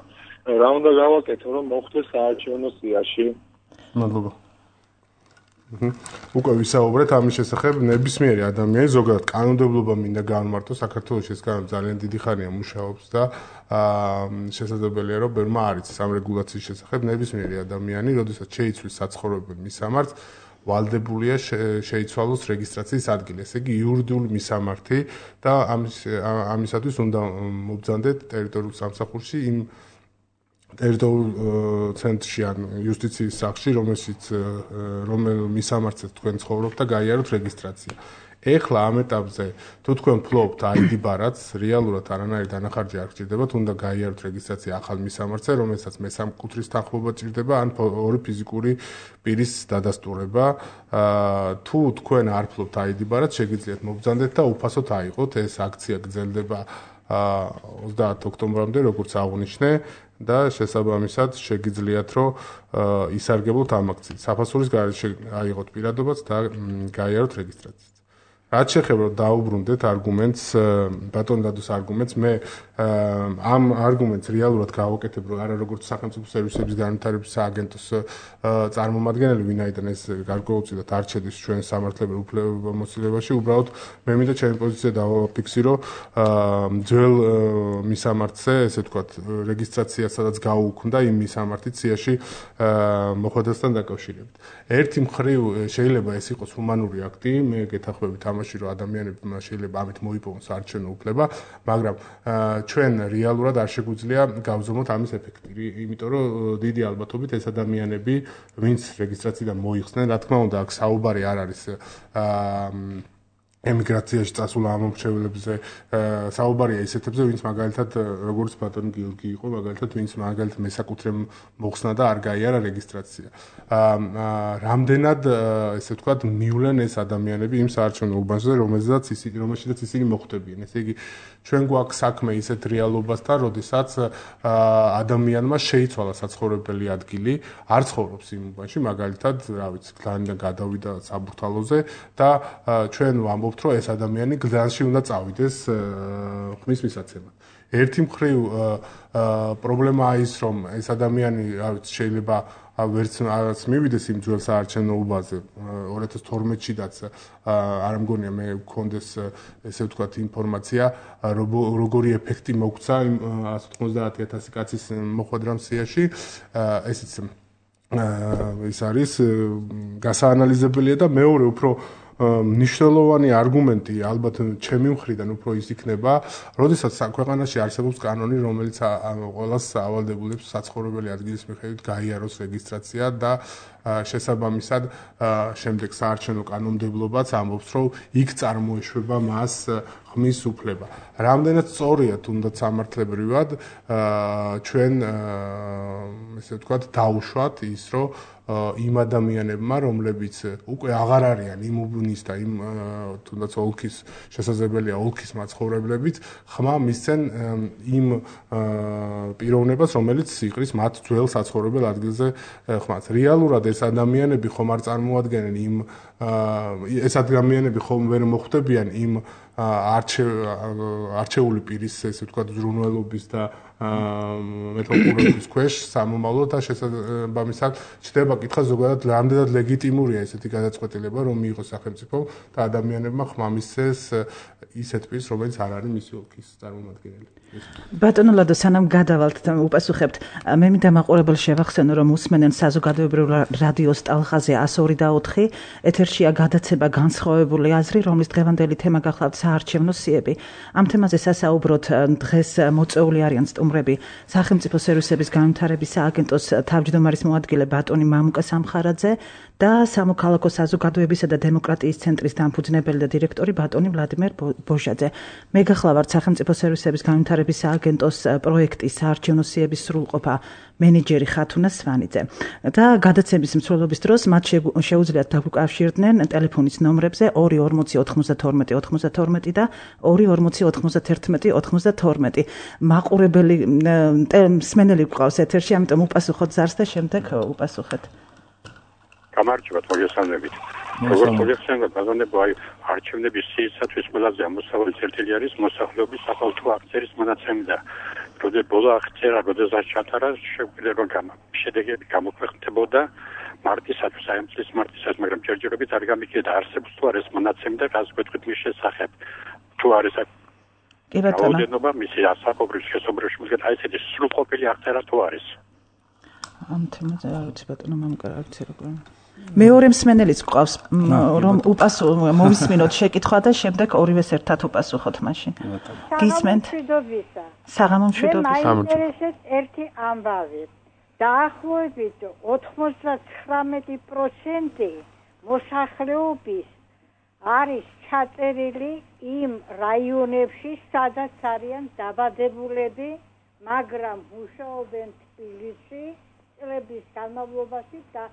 რა უნდა გავაკეთო რომ მოხდეს საარჩევნო სიაში? მადლობა. უკვე ვისაუბრეთ ამის შესახებ, ნებისმიერი ადამიანი ზოგადად კანონმდებლობა მინდა განმარტო საქართველოში ეს კანონი ძალიან დიდი ხანია მუშაობს და შესაძლებელია რომ ბევრმა არ იცის ამ რეგულაციის შესახებ. ნებისმიერი ადამიანი, როდესაც შეიცვლის საცხოვრებელ მისამართს, ვალდებულია შეიცვალოს რეგისტრაციის ადგილი, ესე იგი იურიდიული მისამართი და ამის ამისათვის უნდა მობრძანდეთ ტერიტორიულ სამსახურში იმ ტერიტორიულ ცენტრში ან იუსტიციის სახლში, რომელშიც რომელ მისამართზე თქვენ ცხოვრობთ და გაიაროთ რეგისტრაცია. ეხლა ამ ეტაპზე თუ თქვენ ფლობთ აი დი ბარათს, რეალურად არანაირი დანახარჯი არ გჭირდებათ, უნდა გაიაროთ რეგისტრაცია ახალ მისამართზე, რომელსაც მესამკუთრის თანხმობა ჭირდება ან ორი ფიზიკური პირის დადასტურება. თუ თქვენ არ ფლობთ აი დი ბარათს, შეგიძლიათ მობრძანდეთ და უფასოდ აიღოთ. ეს აქცია გრძელდება ოცდაათი ოქტომბრამდე, როგორც აღნიშნე და შესაბამისად შეგიძლიათ რომ ისარგებლოთ ამ აქციით. საფასურის გარეშე აიღოთ პირადობაც და გაიაროთ რეგისტრაციაც. რაც შეეხება დაუბრუნდეთ არგუმენტს, ბატონ დადოს არგუმენტს, მე ამ არგუმენტს რეალურად გავაკეთებ, რომ არა როგორც სახელმწიფო სერვისების განვითარების სააგენტოს წარმომადგენელი, ვინაიდან ეს გარკვეულწილად არ შედის ჩვენ სამართლებრივ უფლებამოსილებაში, უბრალოდ მე მინდა ჩემი პოზიცია დავაფიქსირო ძველ მისამართზე, ესე ვთქვათ, რეგისტრაცია სადაც გაუქმდა იმ მისამართით სიაში მოხვედრასთან დაკავშირებით. ერთი მხრივ შეიძლება ეს იყოს ჰუმანური აქტი, მე გეთანხმებით ამაში, რომ ადამიანებმა შეიძლება ამით მოიპოვონ საარჩევნო უფლება, მაგრამ ჩვენ რეალურად არ შეგვიძლია გავზომოთ ამის ეფექტი, იმიტომ რომ დიდი ალბათობით ეს ადამიანები, ვინც რეგისტრაციიდან მოიხსნენ, რა თქმა უნდა, აქ საუბარი არ არის ემიგრაციაში წასულ ამომრჩევლებზე, საუბარია ისეთებზე, ვინც მაგალითად როგორც ბატონი გიორგი იყო, მაგალითად ვინც მაგალითად მესაკუთრე მოხსნა და არ გაიარა რეგისტრაცია. რამდენად ესე ვთქვათ, მივლენ ეს ადამიანები იმ საარჩევნო უბანზე, რომელზეც ისინი რომელშიც ისინი მოხვდებიან. ესე იგი, ჩვენ გვაქვს საქმე ისეთ რეალობასთან, როდესაც ადამიანმა შეიცვალა საცხოვრებელი ადგილი, არ ცხოვრობს იმ უბანში, მაგალითად, რა ვიცი, გლანიდან გადავიდა საბურთალოზე და ჩვენ ვამბობთ, რომ ეს ადამიანი გლანში უნდა წავიდეს ხმის მისაცემად. ერთი მხრივ პრობლემაა ის, რომ ეს ადამიანი, რა ვიცი, შეიძლება ვერც არც მივიდეს იმ ძველ საარჩევნო უბანზე ორი ათას თორმეტშიდაც არ მგონია მე გქონდეს ესე ვთქვათ ინფორმაცია როგორი ეფექტი მოგვცა იმ ათას ოცდაათი ათასი კაცის მოხვედრამ სიაში ესეც ის არის გასაანალიზებელია და მეორე უფრო მნიშვნელოვანი არგუმენტი ალბათ ჩემი მხრიდან უფრო ის იქნება, როდესაც ქვეყანაში არსებობს კანონი, რომელიც ყველას ავალდებულებს საცხოვრებელი ადგილის მიხედვით გაიაროს რეგისტრაცია და შესაბამისად შემდეგ საარჩევნო კანონმდებლობაც ამბობს, რომ იქ წარმოეშვება მას ხმის უფლება. რამდენად სწორია თუნდაც სამართლებრივად ჩვენ ესე ვთქვათ დაუშვათ ის, რომ იმ ადამიანებმა, რომლებიც უკვე აღარ არიან იმ უბნის და იმ თუნდაც ოლქის შესაძლებელია ოლქის მაცხოვრებლებიც, ხმა მისცენ იმ პიროვნებას, რომელიც იყრის მათ ძველ საცხოვრებელ ადგილზე ხმას. რეალურად ეს ადამიანები ხომ არ წარმოადგენენ იმ ეს ადამიანები ხომ ვერ მოხვდებიან იმ არჩეული პირის ესე ვთქვათ ზრუნველობის და მეტოყურების ქვეშ სამომავლოდ და შესაბამისად ჩდება კითხვა ზოგადად რამდენად ლეგიტიმურია ესეთი გადაწყვეტილება რომ მიიღოს სახელმწიფომ და ადამიანებმა ხმა მისცეს ისეთ პირს რომელიც არ არის მისი ოლქის წარმომადგენელი. ბატონო ლადო, სანამ გადავალთ და უპასუხებთ, მე მინდა მაყურებელს შევახსენო, რომ უსმენენ საზოგადოებრივ რადიოს ტალღაზე one oh four ეთერშია გადაცემა განსხვავებული აზრი, რომლის დღევანდელი თემა გახლავთ საარჩევნო სიები. ამ თემაზე სასაუბროთ დღეს მოწვეული არიან სტუმრები სახელმწიფო სერვისების განვითარების სააგენტოს თავმჯდომარის მოადგილე ბატონი მამუკა სამხარაძე და სამოქალაქო საზოგადოებისა და დემოკრატიის ცენტრის დამფუძნებელი და დირექტორი ბატონი ვლადიმერ ბოჟაძე. მე გახლავართ სახელმწიფო სერვისების განვითარების სააგენტოს პროექტის საარჩევნო სიების სრულყოფა მენეჯერი ხათუნა სვანიძე. და გადაცემის მსვლელობის დროს მათ შეუძლიათ დაგვიკავშირდნენ ტელეფონის ნომრებზე ორი ორმოცი ოთხმოცდათორმეტი ოთხმოცდათორმეტი და ორი ორმოცი ოთხმოცდაათერთმეტი ოთხმოცდათორმეტი. მაყურებელი მსმენელი გვყავს ეთერში, ამიტომ უპასუხოთ ზარს და შემდეგ უპასუხეთ. გამარჯობა, მოგესალმებით. როგორც მოგესალმებით, ბატონებო, აი არჩევნების სიისათვის ყველაზე ამოსავალი წერტილი არის მოსახლეობის საყოველთაო აქციის მონაცემი და როდეს ბოლო აქცია, როდესაც ჩატარა, შეგვიძლია რომ შედეგები გამოქვეყნდებოდა მარტისათვის, აი ამ წლის მარტისათვის, მაგრამ ჯერჯერობით არ გამიგდა არსებობს თუ არის მონაცემი და გასაკვეთით მის შესახებ. თუ არის კი ბატონო. რაოდენობა მისი ასაკობრივ შესაძლებლობაში მისგან აი ესეთი სრულყოფილი აღწერა თუ არის. ამ თემაზე არ ვიცი ბატონო მამუკა რა ვიცი როგორ. მეორე მსმენელიც გვყავს რომ უპასუ მოვისმინოთ შეკითხვა და შემდეგ ორივეს ერთად უპასუხოთ მაშინ. გისმენთ? საღამო მშვიდობის. მაინტერესებს ერთი ამბავი. დაახლოებით ოცდათხმეტი პროცენტი მოსახლეობის არის ჩაწერილი იმ რაიონებში, სადაც არიან დაბადებულები, მაგრამ მუშაობენ თბილისში წლების განმავლობაში და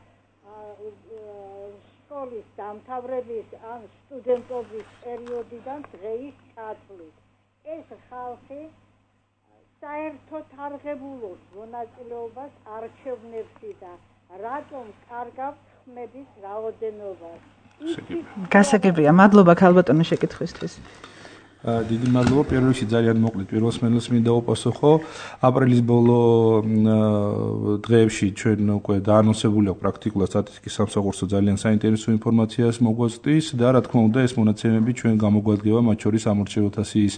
სკოლის დამთავრების ან სტუდენტობის პერიოდიდან დღეის ჩათვლით. ეს ხალხი საერთოდ არ ღებულობს მონაწილეობას არჩევნებში და რატომ კარგავს ხმების რაოდენობას. გასაგებია, მადლობა ქალბატონო შეკითხვისთვის. დიდი მადლობა. პირველ რიგში ძალიან მოკლედ პირველ მსმენელს მინდა უპასუხო. აპრილის ბოლო დღეებში ჩვენ უკვე დაანონსებული აქვს პრაქტიკულად სტატისტიკის სამსახურსო ძალიან საინტერესო ინფორმაციას მოგვაწვდის და რა თქმა უნდა ეს მონაცემები ჩვენ გამოგვადგება მათ შორის ამორჩეულთა სიის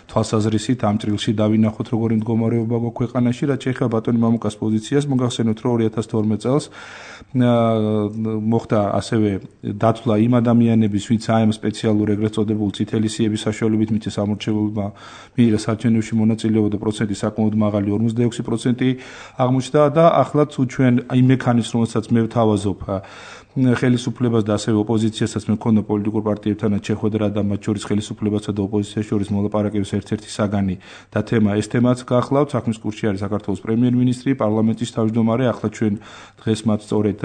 თვალსაზრისით ამ წრილში დავინახოთ როგორი მდგომარეობა გვაქვს ქვეყანაში. რაც შეეხება ბატონი მამუკას პოზიციას, მოგახსენოთ რომ ორი ათას თორმეტ წელს მოხდა ასევე დათვლა იმ ადამიანების, ვინც აი ამ სპეციალურ ეგრეთ წოდებულ წითელი სიების საშუალებით მიწეს ამორჩეულმა მიიღეს საარჩევნოში მონაწილეობა და პროცენტი საკმაოდ მაღალი ორმოცდაექვსი პროცენტი აღმოჩნდა და ახლა თუ ჩვენ იმ მექანიზმს რომელსაც მე ვთავაზობ ხელისუფლებას და ასევე ოპოზიციასაც მე მქონდა პოლიტიკურ პარტიებთანაც შეხვედრა და მათ შორის ხელისუფლებასა და ოპოზიციას შორის მოლაპარაკების ერთ-ერთი საგანი და თემა ეს თემაც გახლავთ. საქმის კურსში არის საქართველოს პრემიერ-მინისტრი, პარლამენტის თავმჯდომარე. ახლა ჩვენ დღეს მათ სწორედ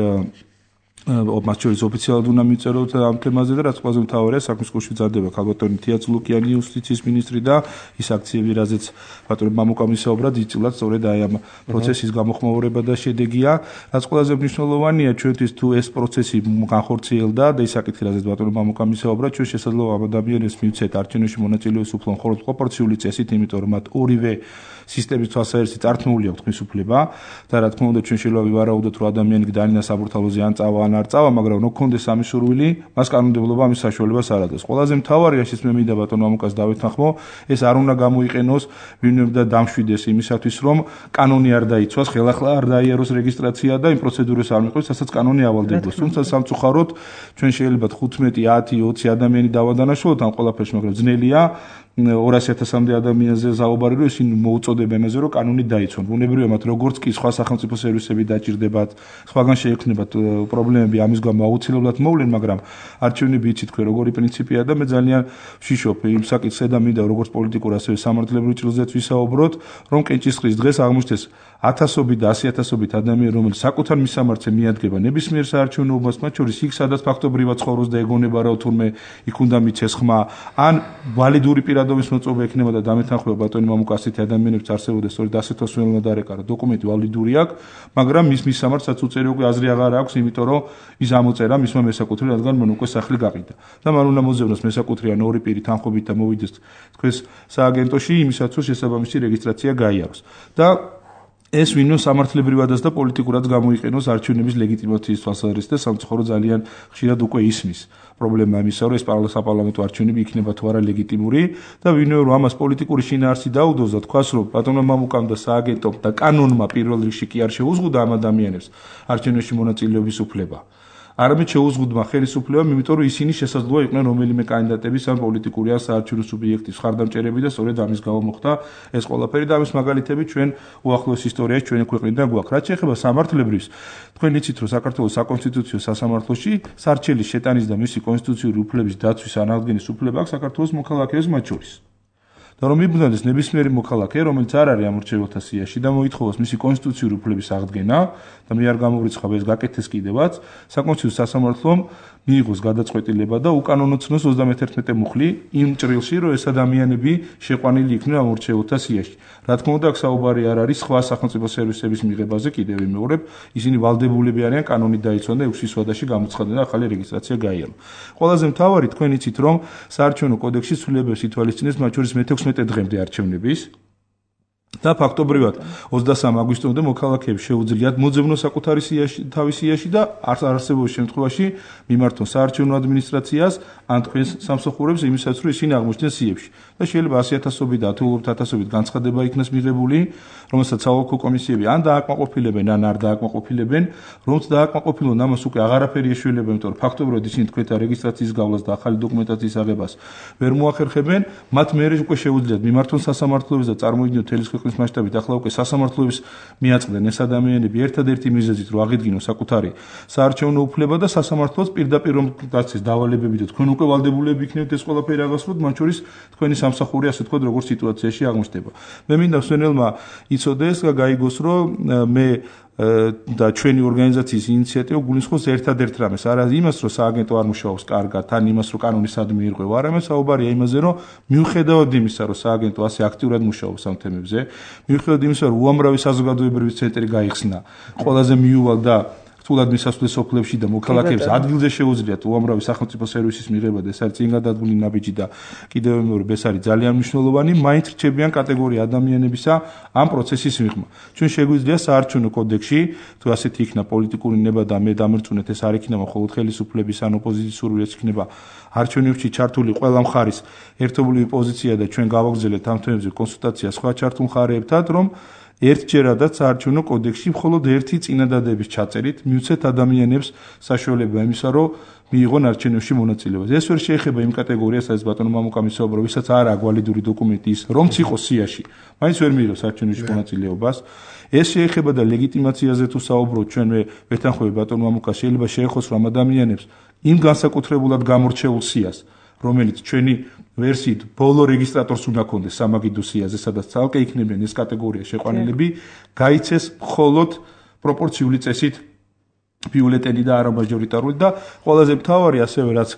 მათ შორის ოფიციალურად უნდა მიწეროთ ამ თემაზე და რაც ყველაზე მთავარია საქმის კურსში მზადდება ქალბატონი თია წულუკიანი იუსტიციის მინისტრი და ის აქციები რაზეც ბატონი მამუკამ ისაუბრა დიდწილად სწორედ აი ამ პროცესის გამოხმაურება და შედეგია. რაც ყველაზე მნიშვნელოვანია ჩვენთვის თუ ეს პროცესი განხორციელდა და ის საკითხი რაზეც ბატონი მამუკამ ისაუბრა, ჩვენ შესაძლოა ამ ადამიანებს მივცეთ არჩევნებში მონაწილეობის უფლება მხოლოდ პროპორციული წესით, იმიტომ რომ მათ ორივე სისტემის თვალსაჩინო წართმეული აქვს თქვენს უფლება და რა თქმა უნდა ჩვენ შეიძლება ვივარაუდოთ რომ ადამიანი დაინა საბურთალოზე ან წავა ან არ წავა, მაგრამ რო გქონდეს ამის სურვილი, მას კანონმდებლობა ამის საშუალებას არ აძლევს. ყველაზე მთავარი რაშიც მე მინდა ბატონო მამუკას დავეთანხმო, ეს არ უნდა გამოიყენოს ვინმე და დამშვიდეს იმისათვის, რომ კანონი არ დაიცვას, ხელახლა არ დაიაროს რეგისტრაცია და იმ პროცედურას არ მიყვეს, რასაც კანონი ავალდებოს. თუმცა სამწუხაროდ ჩვენ შეიძლება თხუთმეტი, ათი, ოცი ადამიანი დავადანაშაულოთ ამ ყველაფერს, მაგრამ ძნელია ორასი ათასამდე ადამიანზე საუბარი რომ ისინი მოუწოდებენ ამაზე რომ კანონი დაიცვან. ბუნებრივია მათ როგორც კი სხვა სახელმწიფო სერვისები დაჭირდებათ, სხვაგან შეექმნებათ პრობლემები ამის გამო აუცილებლად მოვლენ, მაგრამ არჩევნები იცით თქვენ როგორი პრინციპია და მე ძალიან ვშიშობ იმ საკითხზე და მინდა როგორც პოლიტიკურ ასევე სამართლებრივ ჭრილზეც ვისაუბროთ, რომ კენჭისყრის დღეს აღმოჩნდეს ათასობით და ასი ათასობით ადამიანი, რომელიც საკუთარ მისამართზე მიადგება ნებისმიერ საარჩევნოობას, მათ შორის იქ სადაც ფაქტობრივად ცხოვრობს და ეგონება რა თურმე იქ უნდა მიცეს ხმა, ან ვალიდური პირადობის მოწვევა ექნება და დამეთანხმება ბატონი მამუკა ასეთი ადამიანებს არსებობდეს, სწორედ ასეთ ოსმელმა დარეკარა დოკუმენტი ვალიდური აქვს, მაგრამ მის მისამართსაც უწერი უკვე აზრი აღარ აქვს, იმიტომ რომ ის ამოწერა მისმა მესაკუთრე, რადგან მან უკვე სახლი გაყიდა. და მან უნდა მოძებნოს მესაკუთრე ან ორი პირი თანხმობით და მოვიდეს თქვენს სააგენტოში იმისათვის, რომ შესაბამისი რეგისტრაცია გაიაროს. და ეს ვინმე სამართლებრივადაც და პოლიტიკურად გამოიყენოს არჩევნების ლეგიტიმაციის თვალსაზრისით და სამწუხარო ძალიან ხშირად უკვე ისმის. პრობლემა იმისა, რომ ეს საპარლამენტო არჩევნები იქნება თუ არა ლეგიტიმური და ვინმე რომ ამას პოლიტიკური შინაარსი დაუდოს და თქვას რომ ბატონო მამუკამ და სააგენტომ და კანონმა პირველ რიგში კი არ შეუზღუდა ამ ადამიანებს არჩევნებში მონაწილეობის უფლება. არამედ შეუზღუდმა ხელისუფლებამ, იმიტომ რომ ისინი შესაძლოა იყვნენ რომელიმე კანდიდატების ან პოლიტიკური ან საარჩევნო სუბიექტის ხარდამჭერები და სწორედ ამის გამო მოხდა ეს ყველაფერი და ამის მაგალითები ჩვენ უახლოეს ისტორიაში ჩვენი ქვეყნიდან გვაქვს. რაც შეეხება სამართლებრივს, თქვენ იცით რომ საქართველოს საკონსტიტუციო სასამართლოში სარჩელის შეტანის და მისი კონსტიტუციური უფლების დაცვის ან აღდგენის უფლება აქვს საქართველოს მოქალაქეებს მათ შორის. და რომ მიბრუნდეს ნებისმიერი მოქალაქე, რომელიც არ არის ამორჩეველთა სიაში და მოითხოვოს მისი კონსტიტუციური უფლების აღდგენა და მე არ გამოვრიცხავ ეს გაკეთეს კიდევაც, საკონსტიტუციო სასამართლომ მიიღოს გადაწყვეტილება და უკანონოცნოს ოცდამეთერთმეტე მუხლი იმ ჭრილში, რომ ეს ადამიანები შეყვანილი იქნენ ამორჩეველთა სიაში. რა თქმა უნდა, აქ საუბარი არ არის სხვა სახელმწიფო სერვისების მიღებაზე, კიდევ ვიმეორებ, ისინი ვალდებულები არიან კანონი დაიცვან და ექვსი ვადაში გამოცხადდნენ და ახალი რეგისტრაცია გაიარო. ყველაზე მთავარი თქვენ იცით, რომ საარჩევნო კოდექსში ცვლილებებს ითვალისწინებს მათ შორის მეთექვსმეტე დღემდე არჩევნების და ფაქტობრივად ოცდასამი აგვისტომდე მოქალაქეებს შეუძლიათ მოძებნოს საკუთარი სიაში, თავის სიაში და არსებობის შემთხვევაში მიმართონ საარჩევნო ადმინისტრაციას ან თქვენს სამსახურებს იმისათვის, რომ ისინი აღმოჩნდნენ სიებში. და შეიძლება ასი ათასობით და ათეულობით ათასობით განცხადება იქნას მიღებული, რომელსაც საოლქო კომისიები ან დააკმაყოფილებენ, ან არ დააკმაყოფილებენ, რომც დააკმაყოფილონ ამას უკვე აღარაფერი ეშველება, იმიტომ რომ ფაქტობრივად ისინი თქვენთან რეგისტრაციის გავლას და ახალი დოკუმენტაციის აღებას ვერ მოახერხებენ, მათ მერე უკვე შეუძლიათ მიმართონ სასამართლოებს და წარმოიდგინოთ თელის ქვეყნის მასშტაბით ახლა უკვე სასამართლოებს მიაწყდნენ ეს ადამიანები ერთადერთი მიზეზით, რომ აღიდგინოს საკუთარი საარჩევნო უფლება და სასამართლოს პირდაპირ რომ დაცეს დავალებები და თქვენ უკვე ვალდებულები იქნებით ეს ყველაფერი აღასრულოთ, მათ შორის თქვენი სამსახური ასე თქვა როგორ სიტუაციაში აღმოჩნდება. მე მინდა მსვენელმა იცოდეს და გაიგოს, რომ მე და ჩვენი ორგანიზაციის ინიციატივა გულისხმობს ერთადერთ რამეს, არა იმას, რომ სააგენტო არ მუშაობს კარგად, ან იმას, რომ კანონის ადმი ირღვევა, არამედ საუბარია იმაზე, რომ მიუხედავად იმისა, რომ სააგენტო ასე აქტიურად მუშაობს ამ თემებზე, მიუხედავად იმისა, რომ უამრავი საზოგადოებრივი ცენტრი გაიხსნა, ყველაზე მიუვალ და რთულად მისასვლელ სოფლებში და მოქალაქეებს ადგილზე შეუძლიათ უამრავი სახელმწიფო სერვისის მიღება და ეს არის წინ გადადგმული ნაბიჯი და კიდევ მეორე ეს არის ძალიან მნიშვნელოვანი, მაინც რჩებიან კატეგორია ადამიანებისა ამ პროცესის მიღმა. ჩვენ შეგვიძლია საარჩევნო კოდექსში, თუ ასეთი იქნა პოლიტიკური ნება და მე დამრწმუნეთ ეს არ იქნება მხოლოდ ხელისუფლების ან ოპოზიციის სურვილიც იქნება არჩევნებში ჩართული ყველა მხარის ერთობლივი პოზიცია და ჩვენ გავაგრძელებთ ამ თემებზე კონსულტაცია სხვა ჩართულ მხარეებთან, რომ ერთჯერადაც საარჩევნო კოდექსში მხოლოდ ერთი წინადადების ჩაწერით მიუცეთ ადამიანებს საშუალება იმისა, რომ მიიღონ არჩევნებში მონაწილეობას. ეს ვერ შეეხება იმ კატეგორიას, სადაც ბატონო მამუკა მისაუბრა, ვისაც არ აქვს ვალიდური დოკუმენტი ის, რომც იყოს სიაში, მაინც ვერ მიიღოს არჩევნებში მონაწილეობას. ეს შეეხება და ლეგიტიმაციაზე თუ საუბრობთ, ჩვენ მე ვეთანხმები ბატონო მამუკა, შეიძლება შეეხოს რომ ადამიანებს იმ განსაკუთრებულად გამორჩეულ სიას, რომელიც ჩვენი ვერსიით ბოლო რეგისტრატორს უნდა ქონდეს სამაგიდო სიაზე, სადაც ცალკე იქნებიან ეს კატეგორია შეყვანილები, გაიცეს მხოლოდ პროპორციული წესით ბიულეტენი და არა მაჟორიტარული და ყველაზე მთავარი ასევე რაც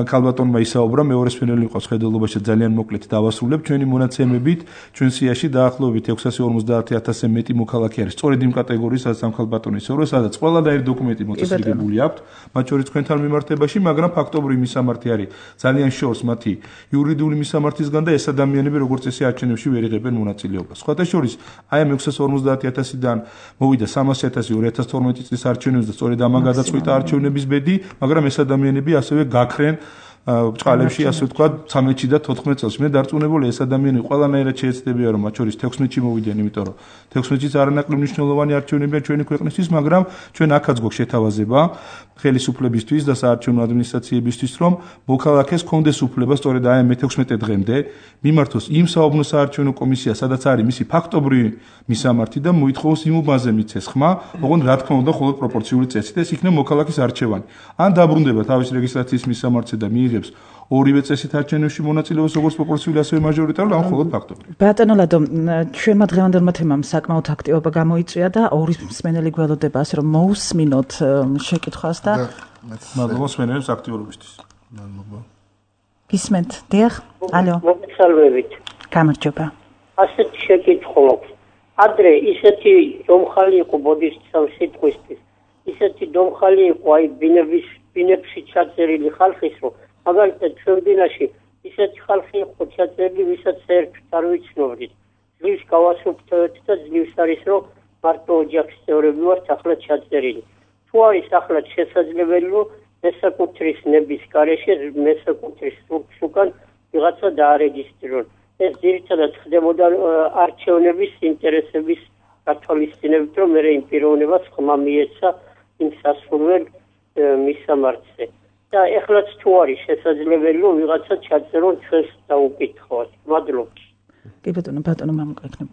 ქალბატონმა ისაუბრა მეორე სფენელი იყო ხედელობაში ძალიან მოკლედ დავასრულებ ჩვენი მონაცემებით ჩვენ სიაში დაახლოებით ექვსასი ორმოცდაათი ათასზე მეტი მოქალაქე არის სწორედ იმ კატეგორიის სადაც ამ ქალბატონი ისაუბრა სადაც ყველანაირი დოკუმენტი მოწესრიგებული აქვთ მათ შორის თქვენთან მიმართებაში მაგრამ ფაქტობრივი მისამართი არის ძალიან შორს მათი იურიდიული მისამართისგან და ეს ადამიანები როგორც წესი არჩევნებში ვერ იღებენ მონაწილეობას სხვათა შორის აი ამ ექვსასი ორმოცდაათი ათასიდან მოვიდა სამასი ათასი ორი ათას თორმეტი წლის არჩევნებზე სწორედ ამან გადაწყვიტა არჩევნების ბედი, მაგრამ ეს ადამიანები ასევე გაქრენ ბჭყალებში, ასე ვთქვათ, ცამეტში და თოთხმეტ წელს. მე დარწმუნებული ეს ადამიანები ყველანაირად შეეცდებიან, რომ მათ შორის თექვსმეტში მოვიდნენ, იმიტომ რომ თექვსმეტშიც არანაკლებ მნიშვნელოვანი არჩევნებია ჩვენი ქვეყნისთვის, მაგრამ ჩვენ აქაც გვაქვს შეთავაზება ხელისუფლებისთვის და საარჩევნო ადმინისტრაციებისთვის, რომ მოქალაქეს კონდეს უფლება სწორედ აი ამ მეთექვსმეტე დღემდე მიმართოს იმ საუბნო საარჩევნო კომისიას, სადაც არის მისი ფაქტობრივი მისამართი და მოითხოვოს იმ უბანზე მიცეს ხმა, ოღონდ რა თქმა უნდა, მხოლოდ პროპორციული წესით, ეს იქნება მოქალაქის არჩევანი. ან დაბრუნდება თავის რეგისტრაციის მისამართზე და მიიღებს ორივე წესით არჩევნებში მონაწილეობას როგორც პროპორციული ასევე მაჟორიტარული, ან მხოლოდ ფაქტობრივი. ბატონო ლადო, ჩვენმა დღევანდელმა თემამ საკმაოდ აქტივობა გამოიწვია და ორი მსმენელი გველოდება, ასე რომ მოусმინოთ შეკითხვას და მადლობა მსმენელებს აქტიურობისთვის. მადლობა. გისმენთ, დიახ? ალო. მოგესალმებით. გამარჯობა. ასეთი შეკითხვა აქვს. ადრე ისეთი დომხალი იყო ბოდიშჩამ სიტყვისთვის. ისეთი დომხალი იყო აი ბინების ბინებში ჩაწერილი ხალხის რომ მაგალითად ჩვენ დინაში ისეთი ხალხი იყო ჩაწერილი ვისაც საერთოდ არ ვიცნობდით. ძლივს გავასუფთავეთ და ძლივს არის რომ მარტო ოჯახის წევრები ვართ ახლა ჩაწერილი. თუ არის ახლა შესაძლებელი რომ მესაკუთრის ნების გარეშე მესაკუთრის სურთს უკან ვიღაცა დაარეგისტრირონ. ეს ძირითადად ხდებოდა არჩევნების ინტერესების გათვალისწინებით, რომ მე იმ პიროვნებას ხმა მიეცა იმ სასურველ მისამართზე. და ეხლაც თუ არის შესაძლებელი, რომ ვიღაცა ჩაწერონ ჩვენს დაუკითხავთ. მადლობა. კი ბატონო, ბატონო მამუკეთნებ.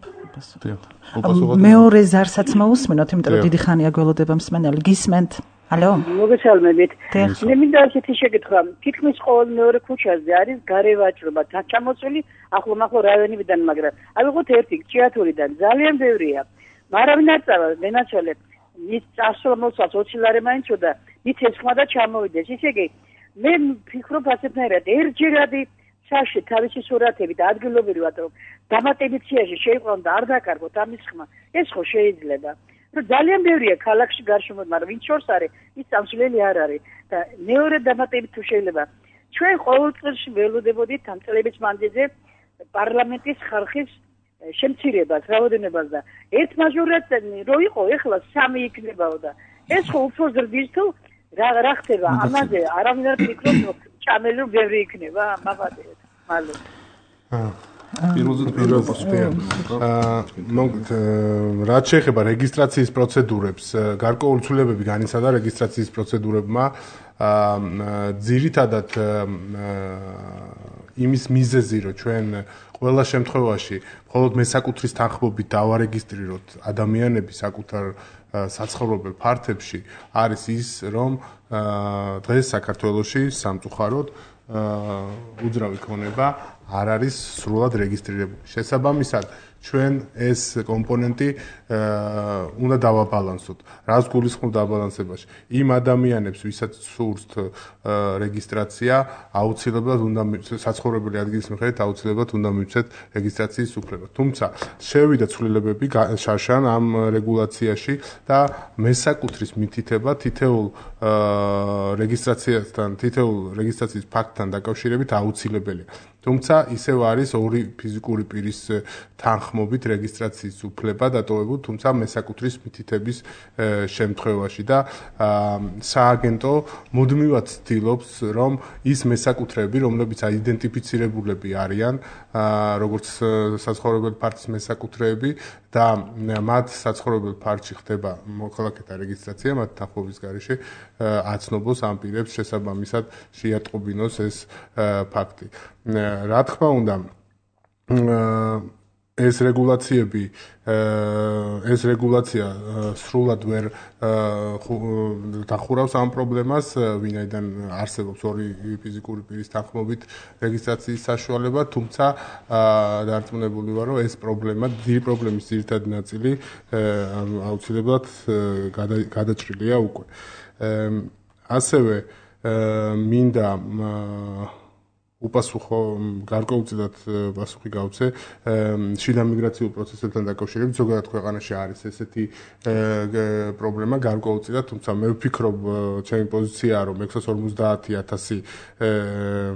მეორე ზარსაც მოусმინოთ, იმიტომ რომ დიდი ხანია გველოდება მსმენელი. გისმენთ? ალო? მოგესალმებით. მე მინდა ასეთი შეკითხვა. თითქმის ყოველ მეორე ქუჩაზე არის გარევაჭრობა, ჩამოწვილი ახლომახლო რაიონებიდან, მაგრამ ავიღოთ ერთი ჭიათურიდან, ძალიან ბევრია. მარავინ არ წავა, მენაცვალე მის წასვლა მოსწავს ოცი ლარი მაინც და მიცეს ხმა და ჩამოვიდეს. ისე იგი მე ვფიქრობ ასეთნაირად ერთჯერადი საში თავისი სურათები და ადგილობრივად რომ დამატებით სიაში შეიყვანო და არ დაკარგოთ ამის ხმა. ეს ხო შეიძლება. რომ ძალიან ბევრია ქალაქში გარშემო, მაგრამ ვინც შორს არის, ის სამსვლელი არ არის და მეორე დამატებით თუ შეიძლება. ჩვენ ყოველ წელს ველოდებოდით ამ წლების მანძილზე პარლამენტის ხალხის შემცირებას, რაოდენობას და ერთ მაჟორიტარული რო იყო, ეხლა სამი იქნებაო და ეს ხო უფრო ზრდის თუ რა რა ხდება? ამაზე არავინ არ ფიქრობს, რომ ჭამელი რო ბევრი იქნება, მაღაზიად. მადლობა. პირველზე პირველს მოგთ რაც შეეხება რეგისტრაციის პროცედურებს, გარკვეული ცვლილებები განიცადა რეგისტრაციის პროცედურებმა, ძირითადად იმის მიზეზი, რომ ჩვენ ყველა შემთხვევაში მხოლოდ მესაკუთრის თანხმობით დავარეგისტრიროთ ადამიანები საკუთარ საცხოვრებელ ფართებში, არის ის, რომ დღეს საქართველოში სამწუხაროდ უძრავი ქონება არ არის სრულად რეგისტრირებული. შესაბამისად, ჩვენ ეს კომპონენტი უნდა დავაბალანსოთ. რას გულისხმობ დაბალანსებაში? იმ ადამიანებს, ვისაც სურთ რეგისტრაცია, აუცილებლად უნდა საცხოვრებელი ადგილის მიხედვით აუცილებლად უნდა მივცეთ რეგისტრაციის უფლება. თუმცა შევიდა ცვლილებები შარშან ამ რეგულაციაში და მესაკუთრის მითითება თითოეულ რეგისტრაციასთან, თითოეულ რეგისტრაციის ფაქტთან დაკავშირებით აუცილებელია. თუმცა ისევ არის ორი ფიზიკური პირის თანხმობით რეგისტრაციის უფლება დატოვებული, თუმცა მესაკუთრის მითითების შემთხვევაში და სააგენტო მუდმივად ცდილობს, რომ ის მესაკუთრეები, რომლებიც აიდენტიფიცირებულები არიან, როგორც საცხოვრებელ ფართის მესაკუთრეები და მათ საცხოვრებელ ფართში ხდება მოქალაქეთა რეგისტრაცია, მათ თანხმობის გარეშე აცნობოს ამ პირებს შესაბამისად შეატყობინოს ეს ფაქტი. რა თქმა უნდა, ეს რეგულაციები ეს რეგულაცია სრულად ვერ დახურავს ამ პრობლემას, ვინაიდან არსებობს ორი ფიზიკური პირის თანხმობით რეგისტრაციის საშუალება, თუმცა დარწმუნებული ვარ, რომ ეს პრობლემა, დიდი პრობლემის ძირითადი ნაწილი აუცილებლად გადაჭრილია უკვე. ასევე მინდა უპასუხო გარკვეულწილად პასუხი გავცე შიდა მიგრაციულ პროცესებთან დაკავშირებით, ზოგადად ქვეყანაში არის ესეთი პრობლემა გარკვეულწილად, თუმცა მე ვფიქრობ, ჩემი პოზიციაა, რომ ექვსას ორმოცდაათი ათასი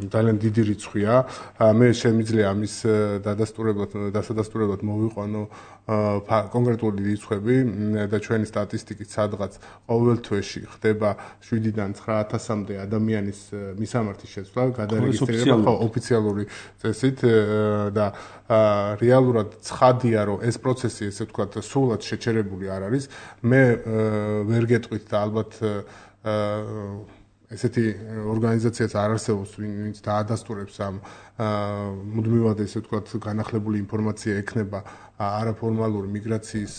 ძალიან დიდი რიცხვია. მე შემიძლია ამის დადასტურებლად, დასადასტურებლად მოვიყვანო კონკრეტული რიცხვები და ჩვენი სტატისტიკით სადღაც ყოველ თვეში ხდება შვიდიდან ცხრა ათასამდე ადამიანის მისამართის შეცვლა, გადარეგისტრირება ხო ოფიციალური წესით და რეალურად ცხადია, რომ ეს პროცესი, ესე ვთქვათ, სრულად შეჩერებული არ არის. მე ვერ გეტყვით და ალბათ ესეთი ორგანიზაციაც არ არსებობს, ვინც დაადასტურებს ამ მუდმივად, ესე ვთქვათ, განახლებული ინფორმაცია ექნება არაფორმალური მიგრაციის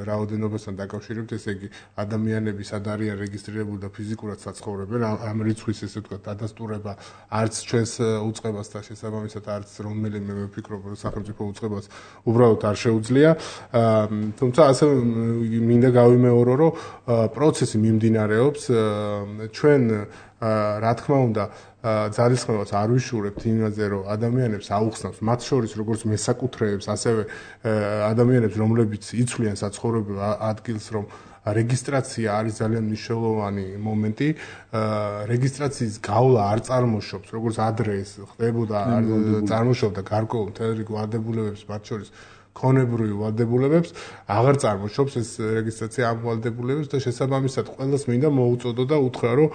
რაოდენობასთან დაკავშირებით, ესე იგი ადამიანები სად არიან რეგისტრირებული და ფიზიკურად საცხოვრებენ, ამ რიცხვის, ესე ვთქვათ, დადასტურება არც ჩვენს უწყებას და შესაბამისად არც რომელიმე მე ვფიქრობ, რომ სახელმწიფო უწყებას უბრალოდ არ შეუძლია. თუმცა ასევე მინდა გავიმეორო, რომ პროცესი მიმდინარეობს, ჩვენ რა თქმა უნდა ძალისხმევას არ ვიშურებთ იმაზე, რომ ადამიანებს აუხსნავს, მათ შორის როგორც მესაკუთრეებს, ასევე ადამიანებს, რომლებიც იცვლიან საცხოვრებელ ადგილს, რომ რეგისტრაცია არის ძალიან მნიშვნელოვანი მომენტი. რეგისტრაციის გავლა არ წარმოშობს, როგორც ადრე ეს ხდებოდა, წარმოშობდა გარკვეულ მთელ რიგ ვალდებულებებს, მათ შორის ქონებრივ ვალდებულებებს, აღარ წარმოშობს ეს რეგისტრაცია ამ ვალდებულებებს და შესაბამისად ყველას მინდა მოუწოდო და უთხრა, რომ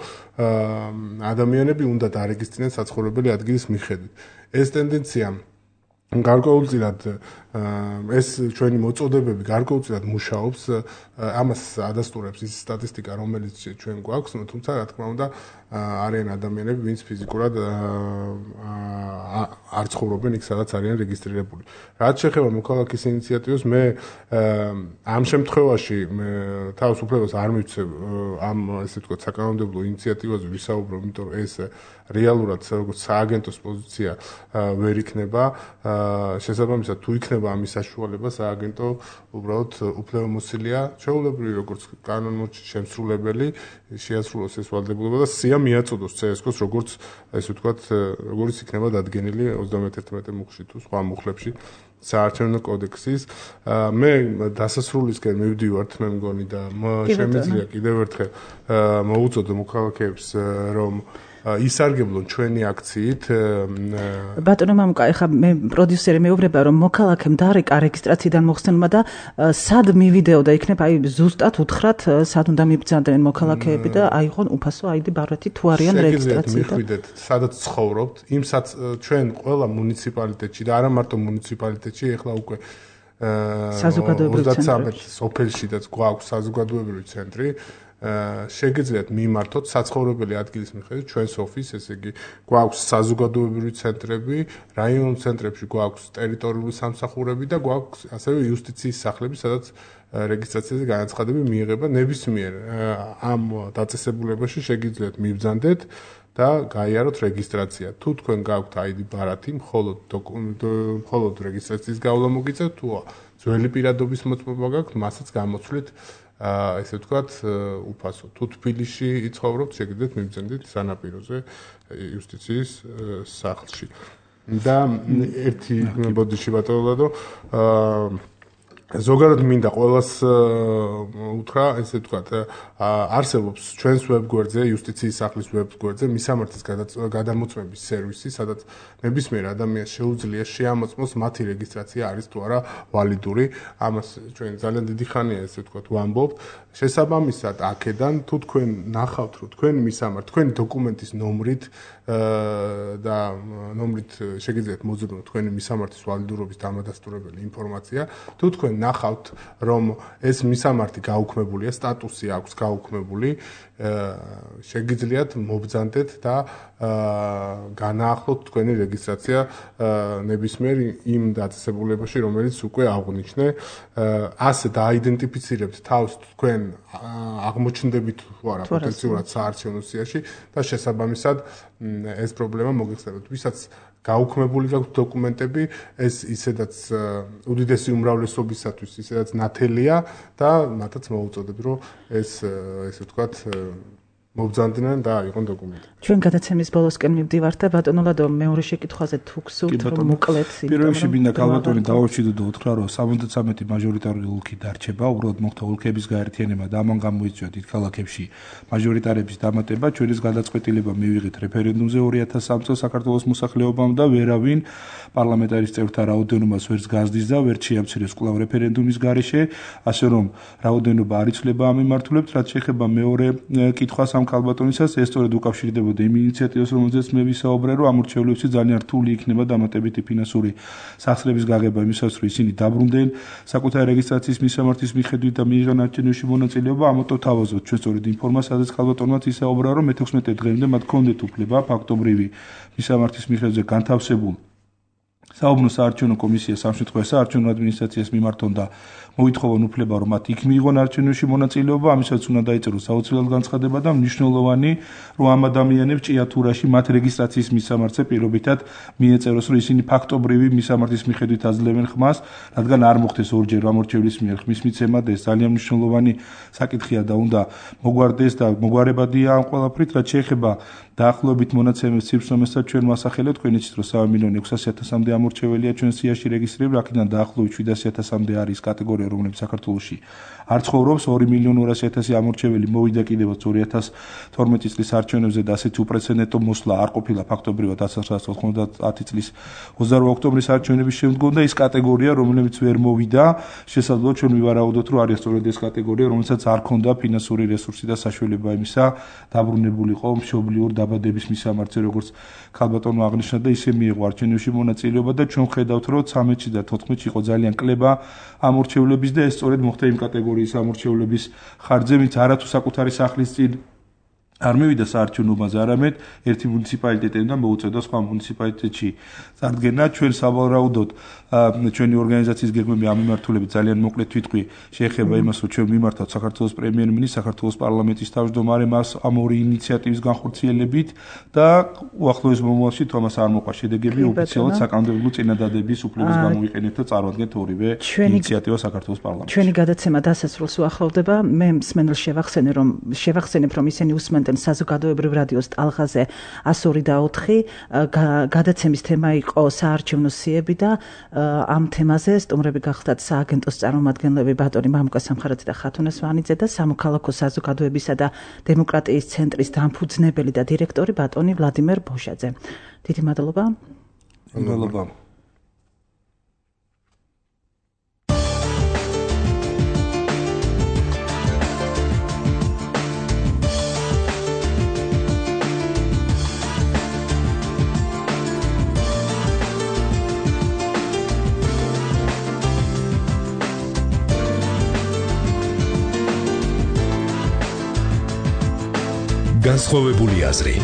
ადამიანები უნდა დარეგისტრირდნენ საცხოვრებელი ადგილის მიხედვით. ეს ტენდენცია გარკვეულწილად ეს ჩვენი მოწოდებები გარკვეულწილად მუშაობს, ამას ადასტურებს ის სტატისტიკა, რომელიც ჩვენ გვაქვს, თუმცა რა თქმა უნდა არიან ადამიანები, ვინც ფიზიკურად არ ცხოვრობენ იქ, სადაც არიან რეგისტრირებული. რაც შეეხება მოქალაქის ინიციატივას, მე ამ შემთხვევაში თავს უფლებას არ მივცევ ამ ესე ვთქვათ საკანონმდებლო ინიციატივაზე ვისაუბრებ, იმიტომ რომ ეს რეალურად როგორც სააგენტოს პოზიცია ვერ იქნება. შესაბამისად, თუ იქნება ამის საშუალება, სააგენტო უბრალოდ უფლებამოსილია, ჩვეულებრივი როგორც კანონმდებლო შემსრულებელი, შეასრულოს ეს ვალდებულება და სია მიაწოდოს ცე-ეს-კოს, როგორც ესე ვთქვათ, როგორც იქნება დადგენილი ოცდამეტ-ერთმეტე მუხლში თუ სხვა მუხლებში საარჩევნო კოდექსის. მე დასასრულისკენ მივდივართ, მე მგონი და შემიძლია კიდევ ერთხელ მოუწოდო მოქალაქეებს, რომ ისარგებლონ ჩვენი აქციით. ბატონო მამუკა, ეხლა მე პროდიუსერი მეუბნება, რომ მოქალაქემ დარეკა რეგისტრაციიდან მოხსნილმა და სად მივიდეო და იქნებ აი ზუსტად უთხრათ, სად უნდა მიბრძანდნენ მოქალაქეები და აიღონ უფასო აიდი ბარათი თუ არიან რეგისტრაციიდან. მიხვიდეთ, სადაც ცხოვრობთ, იმსაც ჩვენ ყველა მუნიციპალიტეტში და არა მარტო მუნიციპალიტეტში, ეხლა უკვე საზოგადოებრივი ცენტრი სოფელშიდაც გვაქვს საზოგადოებრივი ცენტრი. შეგიძლიათ მიმართოთ საცხოვრებელი ადგილის მიხედვით ჩვენს ოფისს, ესე იგი გვაქვს საზოგადოებრივი ცენტრები, რაიონულ ცენტრებში გვაქვს ტერიტორიული სამსახურები და გვაქვს ასევე იუსტიციის სახლები, სადაც რეგისტრაციაზე განაცხადები მიიღება. ნებისმიერ ამ დაწესებულებაში შეგიძლიათ მიბრძანდეთ და გაიაროთ რეგისტრაცია. თუ თქვენ გაქვთ აიდი ბარათი, მხოლოდ მხოლოდ რეგისტრაციის გავლა მოგიწევთ, თუ ძველი პირადობის მოწმობა გაქვთ, მასაც გამოცვლით ესე ვთქვათ, უფასო. თუ თბილისში იცხოვრობთ, შეგიძლიათ მიბრძანდეთ სანაპიროზე იუსტიციის სახლში. და ერთი ბოდიში ბატონო, ზოგადად მინდა ყველას უთხრა, ესე ვთქვათ, არსებობს ჩვენს ვებგვერდზე, იუსტიციის სახლის ვებგვერდზე მისამართის გადამოწმების სერვისი, სადაც ნებისმიერ ადამიანს შეუძლია შეამოწმოს მათი რეგისტრაცია არის თუ არა ვალიდური. ამას ჩვენ ძალიან დიდი ხანია, ესე ვთქვათ, ვამბობთ. შესაბამისად, აქედან თუ თქვენ ნახავთ, რომ თქვენ მისამართ, თქვენი დოკუმენტის ნომრით და ნომრით შეგიძლიათ მოზრუნოთ თქვენი მისამართის ვალიდურობის დამადასტურებელი ინფორმაცია, თუ თქვენ ნახავთ რომ ეს მისამართი გაუქმებულია, სტატუსი აქვს გაუქმებული, შეგიძლიათ მობრძანდეთ და განაახლოთ თქვენი რეგისტრაცია ნებისმიერ იმ დაწესებულებაში, რომელიც უკვე აღნიშნე, ასე დააიდენტიფიცირებთ თავს თქვენ აღმოჩნდებით თუ არა პოტენციურად საარჩევნო სიაში და შესაბამისად ეს პრობლემა მოგიხსენებთ. ვისაც გაუქმებული გაქვთ დოკუმენტები, ეს ისედაც უდიდესი უმრავლესობისათვის ისედაც ნათელია და მათაც მოუწოდებ, რომ ეს ესე ვთქვათ მობრძანდნენ და აიღონ დოკუმენტები. ჩვენ გადაცემის ბოლოსკენ მივდივართ და ბატონო ლადო მეორე შეკითხვაზე თუ გსურთ რომ მოკლედ პირველში მინდა ქალბატონი დავაჩიდო და უთხრა რომ სამოცდამეტი მაჟორიტარული ოლქი დარჩება, უბრალოდ მოხდა ოლქების გაერთიანება და ამან გამოიწვია დიდ ქალაქებში მაჟორიტარების დამატება. ჩვენს გადაწყვეტილება მივიღეთ რეფერენდუმზე ორი ათას სამი წელს საქართველოს მოსახლეობამ და ვერავინ პარლამენტარის წევრთა რაოდენობას ვერც გაზრდის და ვერც შეამცირებს კვლავ რეფერენდუმის გარეშე, ასე რომ რაოდენობა არ იცვლება ამ მიმართულებით. რაც შეეხება მეორე კითხვას ამ ქალბატონისას, ეს სწორედ უკავშირდებოდა იმ ინიციატივას, რომელზეც მე ვისაუბრე, რომ ამ რჩეულებში ძალიან რთული იქნება დამატებითი ფინანსური სახსრების გაღება იმისათვის, რომ ისინი დაბრუნდნენ საკუთარი რეგისტრაციის მისამართის მიხედვით და მიიღონ არჩევნებში მონაწილეობა. ამიტომ თავაზობთ ჩვენ სწორედ იმ ფორმას, სადაც ქალბატონმაც ისაუბრა, რომ მეთექვსმეტე დღემდე მათ ჰქონდეთ უფლება ფაქტობრივი მისამართის მიხედვით განთავსებულ საუბნო საარჩევნო კომისიას ამ შემთხვევაში საარჩევნო ადმინისტრაციას მიმართონ და მოითხოვონ უფლება, რომ მათ იქ მიიღონ არჩევნებში მონაწილეობა, ამისაც უნდა დაიწეროს საოცრად განცხადება და მნიშვნელოვანი, რომ ამ ადამიანებს ჭიათურაში მათ რეგისტრაციის მისამართზე პირობითად მიეწეროს, რომ ისინი ფაქტობრივი მისამართის მიხედვით აძლევენ ხმას, რადგან არ მოხდეს ორჯერ ამორჩევლის მიერ ხმის მიცემა და ეს ძალიან მნიშვნელოვანი საკითხია და უნდა მოგვარდეს და მოგვარებადია ამ ყველაფრით, რაც შეეხება დაახლოებით მონაცემების ციფრსომესაც ჩვენ ვასახელებთ, თქვენ იცით, რომ სამი მილიონი ექვსასი ათასამდე ამორჩეველია ჩვენ სიაში რეგისტრირებული, აქედან დაახლოებით შვიდასი ათასამდე არის კატეგორია, რომლებიც საქართველოში არ ცხოვრობს, ორი მილიონი ორასი ათასი ამორჩეველი მოვიდა კიდევაც ორი ათას თორმეტი წლის არჩევნებზე და ასეთი უპრეცედენტო მოსვლა არ ყოფილა ფაქტობრივად ათას ცხრაასა ოცდაათი წლის ოცდაორი ოქტომბრის არჩევნების შემდგომ და ის კატეგორია, რომლებიც ვერ მოვიდა, შესაძლოა ჩვენ ვივარაუდოთ, რომ არის სწორედ ეს კატეგორია, რომელსაც არ ქონდა ფინანსური რესურსი და საშუალება იმისა დაბრუნებულიყო მშობლიურ დაბადების მისამართზე, როგორც ქალბატონმა აღნიშნა და ისე მიიღო არჩევნებში მონაწილეობა და ჩვენ ხედავთ, რომ ცამეტში და თოთხმეტში იყო ძალიან კლება ამორჩევლების და ეს სწორედ მოხდა იმ კატეგორიის ამორჩევლების ხარჯზე, ვინც არათუ საკუთარი სახლის წინ არ მივიდა საარჩევნოებაზე, არამედ ერთი მუნიციპალიტეტიდან მოუწევდა სხვა მუნიციპალიტეტში წარდგენა. ჩვენ სავარაუდოდ ჩვენი ორგანიზაციის გეგმები ამ მიმართულებით ძალიან მოკლედ ვიტყვი, შეეხება იმას, რომ ჩვენ მიმართავთ საქართველოს პრემიერ-მინისტრს, საქართველოს პარლამენტის თავმჯდომარემ ამ ორი ინიციატივის განხორციელებით და უახლოეს მომავალში თომას არ მოყვა შედეგები ოფიციალურად საკანონმდებლო წინადადების უფლების გამოვიყენეთ და წარვადგეთ ორივე ინიციატივა საქართველოს პარლამენტში. ჩვენი გადაცემა დასასრულს უახლოვდება. მე მსმენელს შევახსენე, რომ შევახსენებ, რომ ისინი უსმენთ საზოგადოებრივ რადიოს ტალღაზე ას ორი და ოთხი. გადაცემის თემა იყო საარჩევნო სიები და ამ თემაზე სტუმრები გახლდათ სააგენტოს წარმომადგენლები ბატონი მამუკა სამხარაძე და ხათუნა სვანიძე და სამოქალაქო საზოგადოებისა და დემოკრატიის ცენტრის დამფუძნებელი და დირექტორი ბატონი ვლადიმერ ბოშაძე. დიდი მადლობა. მადლობა. განსხვავებული აზრი.